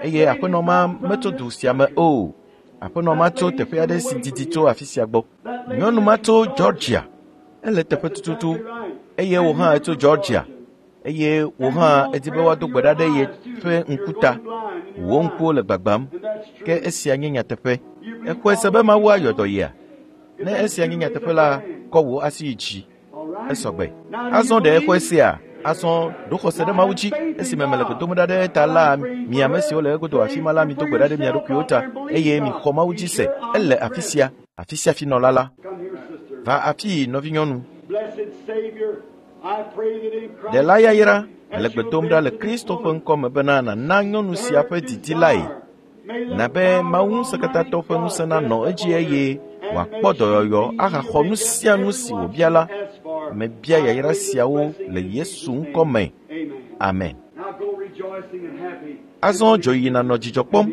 Eye aƒenɔ ma metso du sia me o. Aƒenɔ ma tso teƒe aɖe si didi tso afi sia gbɔ. Nyɔnu ma tso Georgia. Ele teƒe tututu. Eye wò hã etso Georgia. Eye wò hã edi be woado gbe ɖa ɖe ye ƒe ŋkuta. Wò ŋkuwo le gbagbam. Ke esia nye nyateƒe. Exɔe se be Mawu ayɔ dɔ yea? Ne esia nye nyateƒe la, kɔ wò asi yi dzi. Esɔgbe. Azɔ ɖe exɔe sea? Azɔ ɖo xɔse ɖe Mawu dzi. Esime mele gbe dom ɖa ɖe eta la, mi ame siwo le egodo afi ma la, mido gbe ɖa ɖe mia ɖokuiwo ta eye mixɔ Mawu dzi se. Ele afi sia, afi sia finɔla la. Va afii, nɔvinyɔnu. Ɖela yayra, mele gbe dom ɖa le Kristo ƒe ŋkɔ me bena nàna nyɔnu sia ƒe didi lae. Na be Mawu ŋusẽkatãtɔ ƒe ŋusẽ nanɔ edzi eye wòakpɔ dɔyɔyɔ ahaxɔ nu sia nu si wòbia la. Mebia yayra siawo le Yesu ŋkɔ me. Amen. Azɔ dzo yi nànɔ dzidzɔ kpɔm.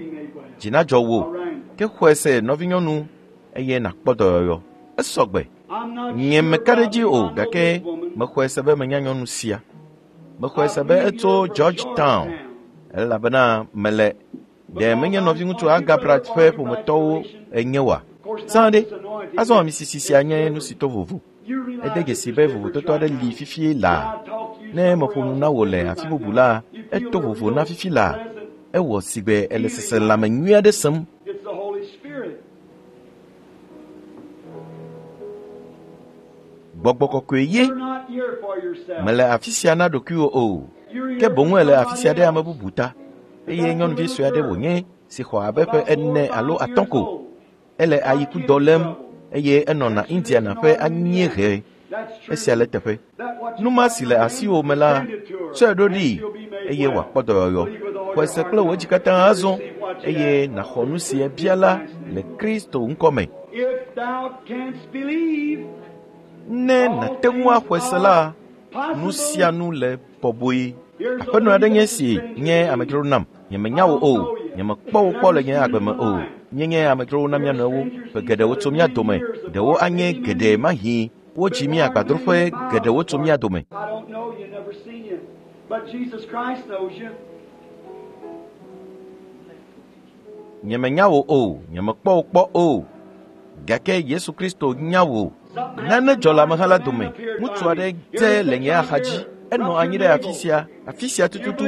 Dzi nadzɔ wò. Ke xɔe se nɔvinyɔnu eye nàkpɔ dɔyɔyɔ. Esɔgbe. Nye meka ɖe edzi o gake mexɔe se be menya nyɔnu sia. Mexɔe se be etso Georgetown elabena mele ɖe menye nɔviŋutsu Agabrat ƒe ƒometɔwo enye oa? Zã ɖe, azɔ amisisi sia nye nu si to vovo. Ede dzesi be vovototo aɖe li fifie laa. Ne meƒo nu na wò le afi bubu la, eto vovo na fifi laa. Ewɔ si gbe ele seselãme nyui aɖe sem. Gbɔgbɔ kɔkɔe ye. Mele afi sia na ɖokuiwò o. Ke boŋ ele afi sia ɖe ame bubu ta. Eye nyɔnuvi sue aɖe wònye si xɔ abe ƒe 4 alo 5 ko. Ele ayikudɔ lém eye enɔna Indiana ƒe anyiehe. Esia le teƒe. Nu ma si le asiwò me la, tsɔe ɖo ɖii eye wòakpɔ dɔyɔyɔ. Xɔe se kple wò dzi katã azɔ eye nàxɔ nu si ebia la le Kristo ŋkɔ me. Ne nàte ŋu axɔe se la, nu sia nu le bɔbɔe. Aƒenɔ aɖe nye si nye amedzro nam. Nyemenya wò o. Nyemekpɔ wò kpɔ le nye agbe me o. Míenye amedzrowo na mía nɔewo. Ƒe geɖewo tso mía dome. Ɖewo anye geɖe mahi. Wodzi mí agbadroƒe geɖewo tso mía dome. Nyemenya wò o. Nyemekpɔ wò kpɔ o. Gake Yesu Kristo nya wò. Nane dzɔ le ameha la dome. Ŋutsu aɖe dze le nye axadzi. Enɔ anyi ɖe afi sia tututu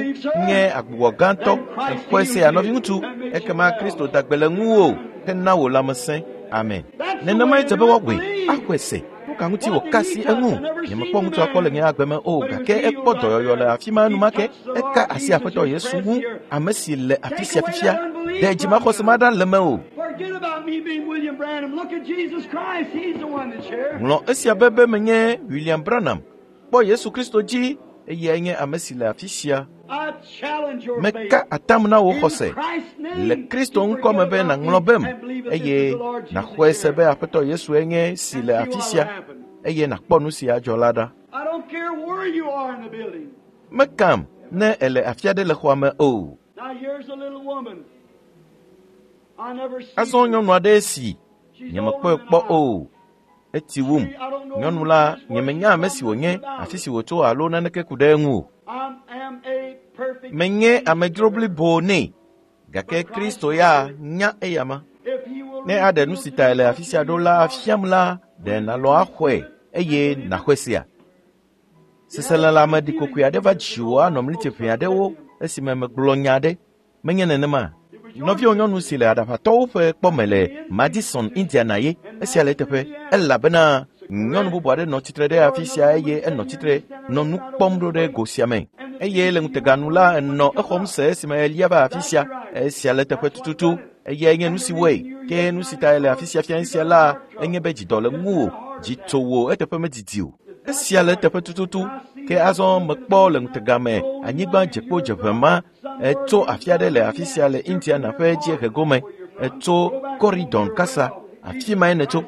nye agbugbɔ gãtɔ. Exɔe sea nɔviŋutsu. Ekema Kristo da gbe le ŋuwò hena wò lãmesẽ. Amen. Nenemae dze be woawɔe. Axɔe se. Nu ka ŋuti wòka asi eŋu? Nyemekpɔ ŋutsua kpɔ le nye agbe me o gake ekpɔ dɔyɔyɔ le afi ma enumake. Eka asi Aƒetɔ Yesu ŋu, ame si le afi sia fifia. Ɖe dzimaxɔse ma ɖa le mewò. Ŋlɔ esia be be menye William Branham. Kpɔ Yesu Kristo dzi. Eyae nye ame si le afi sia. Meka atam na wò xɔse le Kristo ŋkɔ me be nàŋlɔ bem eye nàxɔe se be Aƒetɔ Yesue nye si le afi sia eye nàkpɔ nu si adzɔ la ɖa. Mekam ne èle afi aɖe le xɔa me o. Azɔ nyɔnu aɖe si nyemekpɔe kpɔ o. Eti wum. Nyɔnu la, nyemenya ame si wònye, afi si wòtso alo naneke ku ɖe eŋu o. Menye amedzro blibo nɛ, gake Kristo ya nya eyama. Ne aɖe nu si ta le afi sia ɖo la afiam la, ɖe nàlɔ̃ axɔe eye nàxɔe sea? Seselelãme ɖikokoe aɖe va dziwò anɔ mliti ʋɛ aɖewo esime megblɔ nya aɖe. Menye nenema. Nɔviwò nyɔnu si le aɖaʋatɔwo ƒe kpɔme le Madison, Indiana ye. Esia le eteƒe elabena nyɔnu bubu aɖe nɔ tsitre ɖe afi sia eye enɔ tsitre nɔ nu kpɔm ɖo ɖe go sia me. Eye le ŋuteganu la enɔ exɔm se esime elia va afi sia. Esia le eteƒe tututu. Eyae nye nu si wɔe. Ke nu si ta le afi sia fia sia la enye be dzidɔ le ŋuwò. Dzi tso wò eteƒe medidi o. Esia le eteƒe tututu. Ke azɔ mekpɔ le ŋutega me anyigba dzekpo dzeʋe ma etso afi aɖe le afi sia le Indiana ƒe dziehe gome. Etso Corridon kasa. Afi mae nètso.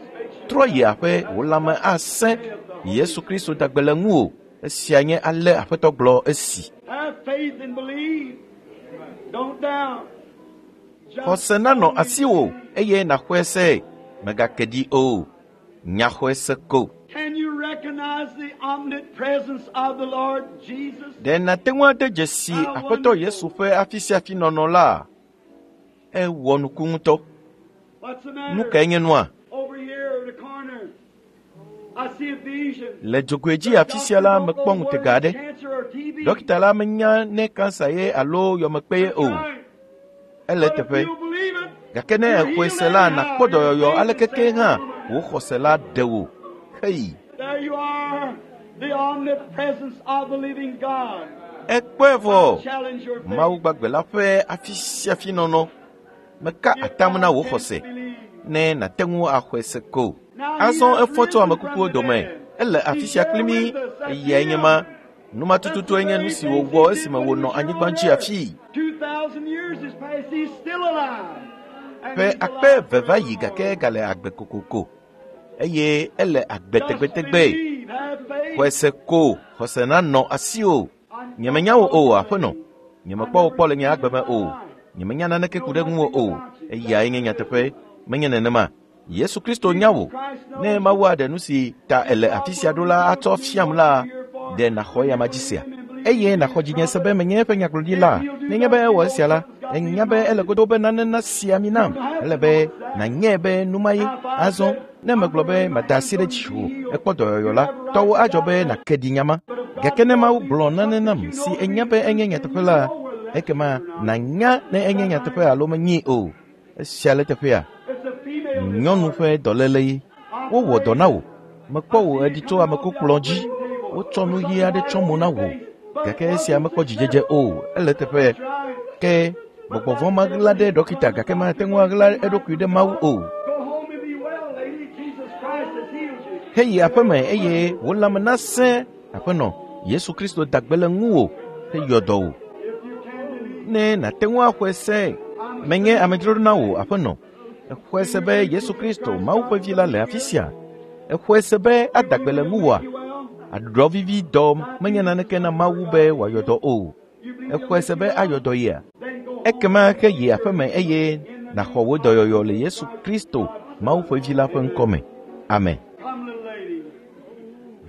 Trɔ yi aƒe wò lãme asẽ. Yesu Kristo da gbe le ŋuwò. Esia nye ale Aƒetɔ gblɔ esi. Xɔse nanɔ asiwò eye nàxɔe se. Mègake ɖi o. Nya xɔe se ko. Ɖe nàte ŋu ade dzesi Aƒetɔ Yesu ƒe afi sia afi nɔnɔ la? Ewɔ nuku ŋutɔ. Nu kae nye nua? Le dzogoe dzi afi sia la mekpɔ ŋutega aɖe. Ɖɔkita la menya ne kansa ye alo yɔmekpe ye o. Ele eteƒe. Gake ne èxɔe se la, nàkpɔ dɔyɔyɔ aleke ke hã wò xɔse la ɖe wò. Hei! Ekpɔe vɔ. Mawu gbagbe la ƒe afi sia afi nɔnɔ. Meka atam na wò xɔse ne nàte ŋu axɔe se ko. Azɔ efɔ tso amekukuwo dome. Ele afi sia kpli mí. Eyae nye ma. Nu ma tututue nye nu si wòwɔ esime wònɔ anyigba dzi afii. Ƒe akpe eve va yi gake egale agbe kokoko eye ele agbe tegbetegbe. Xɔe se ko, xɔse nanɔ asiwò. Nyemenya wò o, aƒenɔ. Nyemekpɔ wò kpɔ le nye agbe me o. Nyemenya naneke ku ɖe ŋuwò o. Eyae nye nyateƒe. Menye nenema. Yesu Kristo nya wò. Ne Mawu aɖe nu si ta èle afi sia ɖo la atsɔ fiam la, ɖe nàxɔ eyama dzi sea? Eye nàxɔ dzinye se be menye eƒe nyagblɔɖila. Nenye be ewɔ esia la, enya be ele godo be nane nasi ami nam. Ele be nànyae be nu ma ye. Azɔ, ne megblɔ be mada asi ɖe dziwò, ekpɔ dɔyɔyɔ la, tɔwò adzɔ be nàke ɖi nya ma. Gake ne Mawu gblɔ nane nam si enya be enye nyateƒe la, ekema nànya ne enye nyateƒe alo menyee o. Esia le teƒea. Nyɔnu ƒe dɔléle ye. Wowɔ dɔ na wò. Mekpɔ wò eɖi tso amekukplɔ̃ dzi. Wotsɔ nu ɣi aɖe tsɔ mo na wò. Gake esia mekpɔ dzidzedze o. Ele teƒe. Ke gbɔgbɔ vɔ̃ maɣla ɖe ɖɔkita gake mate ŋu aɣla eɖokui ɖe Mawu o. Heyi aƒeme eye wò lãme nasẽ. Aƒenɔ, Yesu Kristo da gbe le ŋuwò heyɔ dɔ wò. Ne nàte ŋu axɔe se, menye amedzro na wò, aƒenɔ. Exɔe se be Yesu Kristo, Mawu ƒe vi la le afi sia. Exɔe se be ada gbe le ŋuwòa? Aɖuɖɔ vivi dɔ menye naneke na Mawu be wòayɔ dɔ o. Exɔe se be ayɔ dɔ yea? Ekema ke yi aƒeme eye nàxɔ wò dɔyɔyɔ le Yesu Kristo, Mawu ƒe vi la ƒe ŋkɔ me. Amen.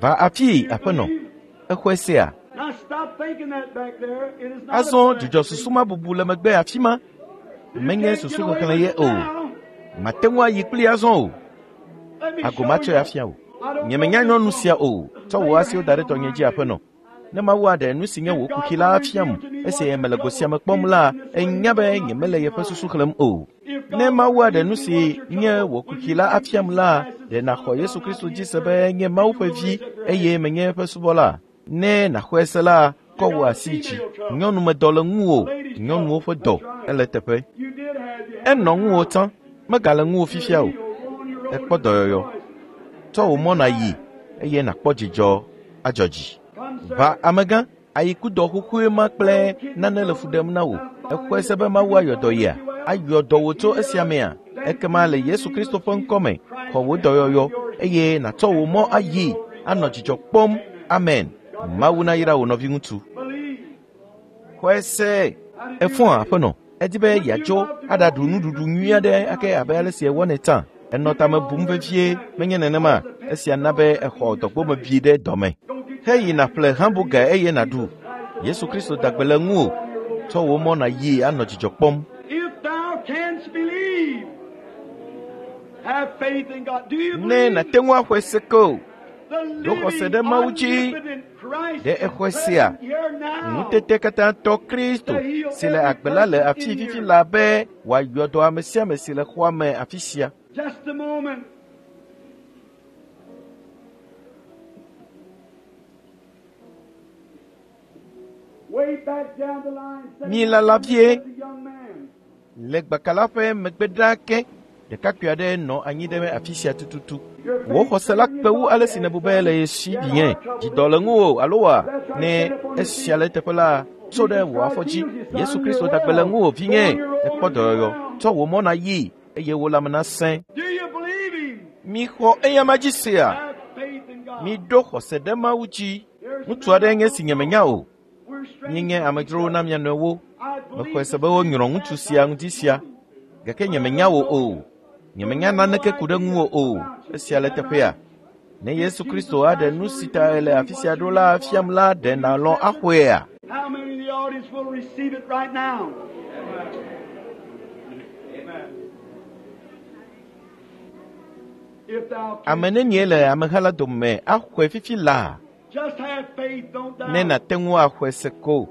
Va afii, aƒenɔ. Exɔe sea? Azɔ dzudzɔ susu ma bubu le megbe afi ma. Menye susu xexlẽ ye o. Mate ŋu ayi kpli azɔ o. Ago matsɔe afia o. Nyemenya nyɔnu sia o. Tsɔ wò asiwo da ɖe tɔnye dzi, aƒenɔ. Ne Mawu aɖe nu si nye wò kuxi la afiam, esi mele go sia me kpɔm la, enya be nyemele yeƒe susu xlẽm o. Ne Mawu aɖe nu si nye wò kuxi la afiam la, ɖe nàxɔ Yesu Kristo dzi se be nye Mawu ƒe vi eye menye eƒe subɔla? Ne nàxɔe se la, kɔ wò asi dzi. Nyɔnumedɔ le ŋuwò, nyɔnuwo ƒe dɔ ele teƒe. Enɔ ŋuwò tsã, megale ŋuwò fifia o. Ekpɔ dɔyɔyɔ. Tsɔ wò mɔ nàyi eye nàkpɔ dzidzɔ adzɔ dzi. Va amegã. Ayikudɔ xoxoe ma kple nane le fu ɖem na wò. Exɔe se be Mawu ayɔ dɔ yia? Ayɔ dɔ wò tso esia mea? Ekema le Yesu Kristo ƒe ŋkɔme, xɔ wò dɔyɔyɔ eye nàtsɔ wò mɔ ayi anɔ dzidzɔ kpɔm. Amen. Mawu nayra wò nɔviŋutsu. Xɔe se. Efɔa aƒenɔ. Edi be yeadzo aɖaɖu nuɖuɖu nyui aɖe ake abe ale si ewɔnɛ tsã. Enɔ tame bum vevie, menye nenema. Esia na be exɔ dɔgbome bi ɖe dɔme. Heyi nàƒle hamburger eye nàɖu. Yesu Kristo da gbe le ŋuwò. Tsɔ wò mɔ nàyi anɔ dzidzɔ kpɔm. If thou canst believe, have faith in God. Do you Ne believe nàte ŋu axɔe se ke o, the ɖo xɔse living, ɖe Mawu dzi. omnipotent Christ Ɖe is exɔe sea? present here now? Ŋutete katã tɔ Kristo si le agbe la le afi fifi la be wòayɔ dɔ ame sia ame si le xɔa me afi sia. Just a moment. Way back down the line, sitting Mi lala vie. there, a young man. Le gbaka ƒe megbe ɖaa ke, ɖekakpui aɖe nɔ anyi ɖe afi sia tututu. Wò xɔse la kpe wu ale si nèbu be le ye si vinye. Dzidɔ le ŋuwò alo wa? Ne esia le eteƒe la, tso ɖe wò afɔ dzi. Yesu Kristo da gbe le ŋuwò vinye. Ekpɔ dɔyɔyɔ. Tsɔ wò mɔ nàyi eye wò lãme nasẽ. Do you believe him? Mixɔ eyama dzi sea? Have faith in God. Miɖo xɔse ɖe Mawu dzi. Ŋutsu aɖe nye si nyemenya o. We're strangers. Míenye amedzrowo na mia nɔewo. I believe Mexɔe se be wonyrɔ ŋutsu sia ŋdi sia. Gake nyemenya wò o. Nyemenya naneke ku ɖe ŋuwò o. Esia le teƒea. Ne Yesu Kristo aɖe nu si ta le afi sia ɖo la fiam la, ɖe nàlɔ̃ axɔea? How many in the audience will receive it right now? If thou Ame canst, nenie le ameha la dome axɔe fifi laa? just have faith, don't doubt. Ne nàte ŋu axɔe se ko.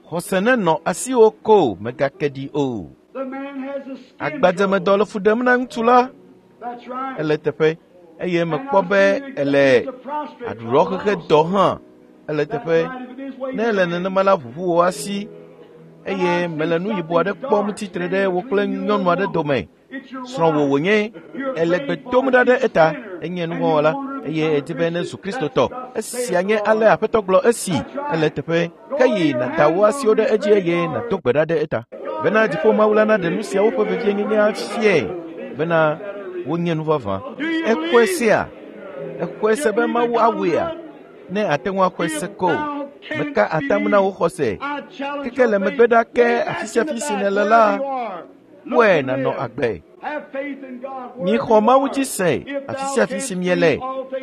Xɔse nenɔ asiwò ko, mègake ɖi o. The man has a skin Agbadzemedɔ trouble. le fu ɖem na ŋutsu la. That's right. Ele teƒe eye mekpɔ be ele aɖuɖɔ xexe dɔ hã. Ele teƒe. Ne ele nenema la, ʋuʋu wò asi eye mele nu yibɔ aɖe kpɔm tsitre ɖe wò kple nyɔnu aɖe dome. Srɔ̃wò wònye. Ele gbe dom ɖa ɖe eta. Enye nuvɔ̃wɔla eye edi be nezu Kristotɔ. Esia nye ale Aƒetɔ gblɔ esi. Ele teƒe. Ke yi nàda wò asiwo ɖe edzi eye nàdo gbe ɖa ɖe eta. Bena dziƒo Mawu la naɖe nu siawo ƒe vevienyenye afiae bena wonye nu vavã. Exɔe sea? Exɔe se be Mawu awɔea? Ne àte ŋu axɔe se ko. Meka atam na wò xɔse. Keke le megbe ɖa ke afi sia afi si nèle la, kpɔe nànɔ agbe. Mixɔ Mawu dzi se afi sia afi si miele.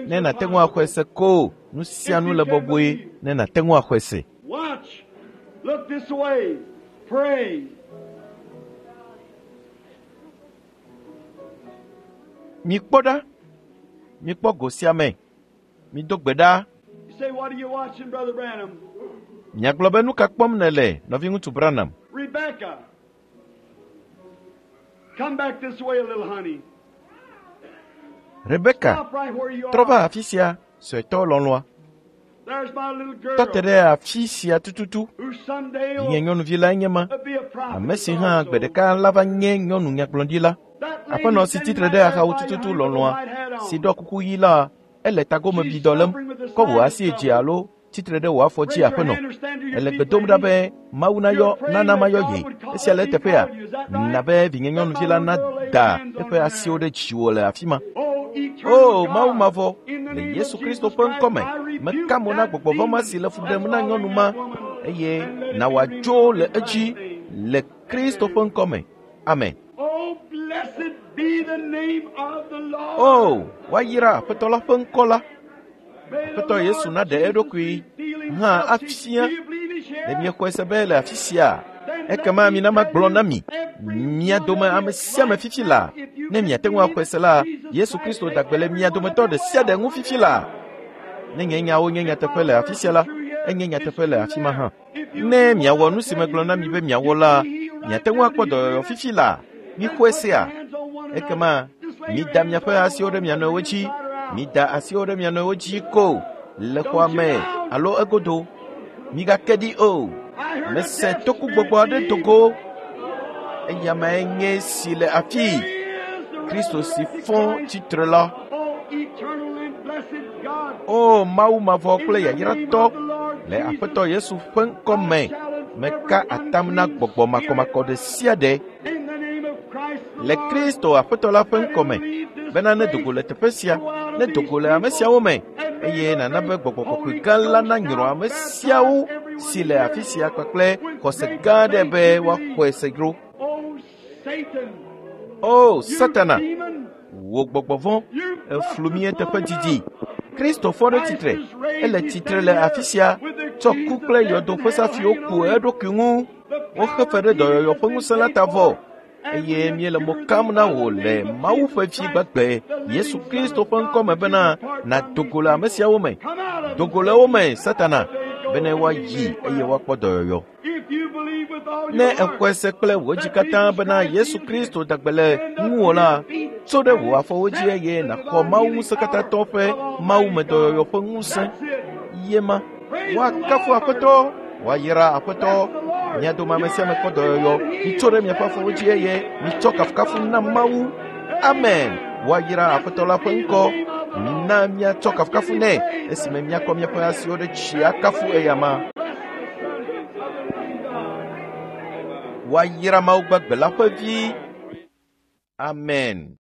Ne nàte ŋu axɔe se ko, nu sia nu le bɔbɔe ne nàte ŋu axɔe se. Watch. Look this way. Pray. Mikpɔ ɖa. Mikpɔ go sia me. Mido gbe ɖa. You say, what are you watching, Brother Branham? Miagblɔ be nu ka kpɔm nèle, nɔviŋutsu Branham? Rebecca. Come back this way a little, honey. Rebeka, Stop right where you trɔ va are. afi sia, suetɔ lɔlɔ̃a. There's my little Tɔ te girl ɖe afi sia tututu. who someday Nye will nyɔnuvi lae nye ma. be a prophet. Ame si hã also. gbe ɖeka la va nye nyɔnu nyagblɔɖila. That lady Aƒenɔ si standing tsitre right ɖe there axawo by your tututu hand with the lɔlɔ̃a white hat on. si ɖɔ kuku ɣi la, ele tagomebidɔ lém. Kɔ wò asi dzi alo tsitre ɖe wò afɔ Raise dzi your aƒenɔ. hand or stand to your Ele feet, gbe dom ɖa lady. be Mawu nayɔ nana mayɔ ye. Esia le eteƒea? Na be vinye nyɔnuvi la nada eƒe asiwo ɖe dziwò le afi ma. Oh, eternal O Mawu God, mavɔ, in the le name Yesu of Kristo Jesus ƒe Christ, ŋkɔme, I rebuke meka mo na that gbɔgbɔ vɔ̃ ma demon si le fu that's ɖem na following nyɔnu that ma woman eye and let na it be wòadzo removed le in edzi Christ's name. le Kristo ƒe ŋkɔme. Amen. Oh, blessed be the name of the Lord. O, woayra Aƒetɔ la ƒe ŋkɔ la. May the Aƒetɔ Yesu Lord naɖe Jesus eɖokui reveal hã himself to afia. you. Do you believe he's here? Ne miexɔe se be le afi sia, Then let ekema me mina tell magblɔ you, na mi, every mia one dome of you ame sia ame right fifi now, la, if you ne can miate ŋu believe axɔe se la, Jesus Yesu Christ Kristo make da gbe le every mia one of dometɔ you ɖe sia ɖe well. ŋu fifi la. Ne nye nyawo nye nyateƒe le afi sia la, enye nyateƒe le afi ma hã. Ne miawɔ nu si megblɔ na mi be miawɔ la, miate ŋu akpɔ dɔyɔyɔ fifi la. Mixɔe sea? Ekema mida miaƒe asiwo ɖe mia nɔewo dzi. Mida asiwo ɖe mia nɔewo dzi ko le xɔa me alo egodo. Migake ɖi o. Mese tokugbɔgbɔ aɖe do go. Eya mae nye si le afii. Kristo si fɔ tsitre la. Oh, eternal and blessed God, O Mawu mavɔ in kple the name yayratɔ of the Lord le Le Aƒetɔ Yesu ƒe ŋkɔ me, meka atam na gbɔgbɔ makɔmakɔ ɖe sia ɖe le Kristo Aƒetɔ la ƒe ŋkɔ me bena ne dogo le teƒe sia, ne dogo le ame siawo me, eye nana be gbɔgbɔ kɔkɔe gã la nanyrɔ ame siawo si le afi sia kpakple xɔse gã aɖe be woaxɔe se dzro. O Satana, wò gbɔgbɔ vɔ̃, eflu mí eteƒe didi. Kristo fɔ ɖe tsitre, ele tsitre le afi sia, tsɔ ku kple yɔdo ƒe safiwo ku eɖokui ŋu. Woxe fe ɖe dɔyɔyɔ ƒe ŋusẽ la ta vɔ eye míele mo kam na wò le Mawu ƒe Vi gbagbe Yesu Kristo ƒe ŋkɔ me bena nàdo go le ame siawo me. Do go le wo me, Satana, bene woayi eye woakpɔ dɔyɔyɔ. Ne èxɔe se kple wò dzi katã bena Yesu Kristo da gbe le ŋuwò la, tso ɖe wò afɔwo dzi eye nàxɔ Mawu ŋusẽkatãtɔ ƒe mawumedɔyɔyɔ ƒe ŋusẽ. Ye ma. Woakafu Aƒetɔ, woayra Aƒetɔ. Mia dome ame sia ame kpɔ dɔyɔyɔ. Mitso ɖe miaƒe afɔwo dzi eye mitsɔ kafukafu na Mawu. Amen. Woayra Aƒetɔ la ƒe ŋkɔ. Mina míatsɔ kafukafu nɛ esime míakɔ míaƒe asiwo ɖe dzi akafu eyama. Woayra Mawu gbagbe la ƒe Vi. Amen.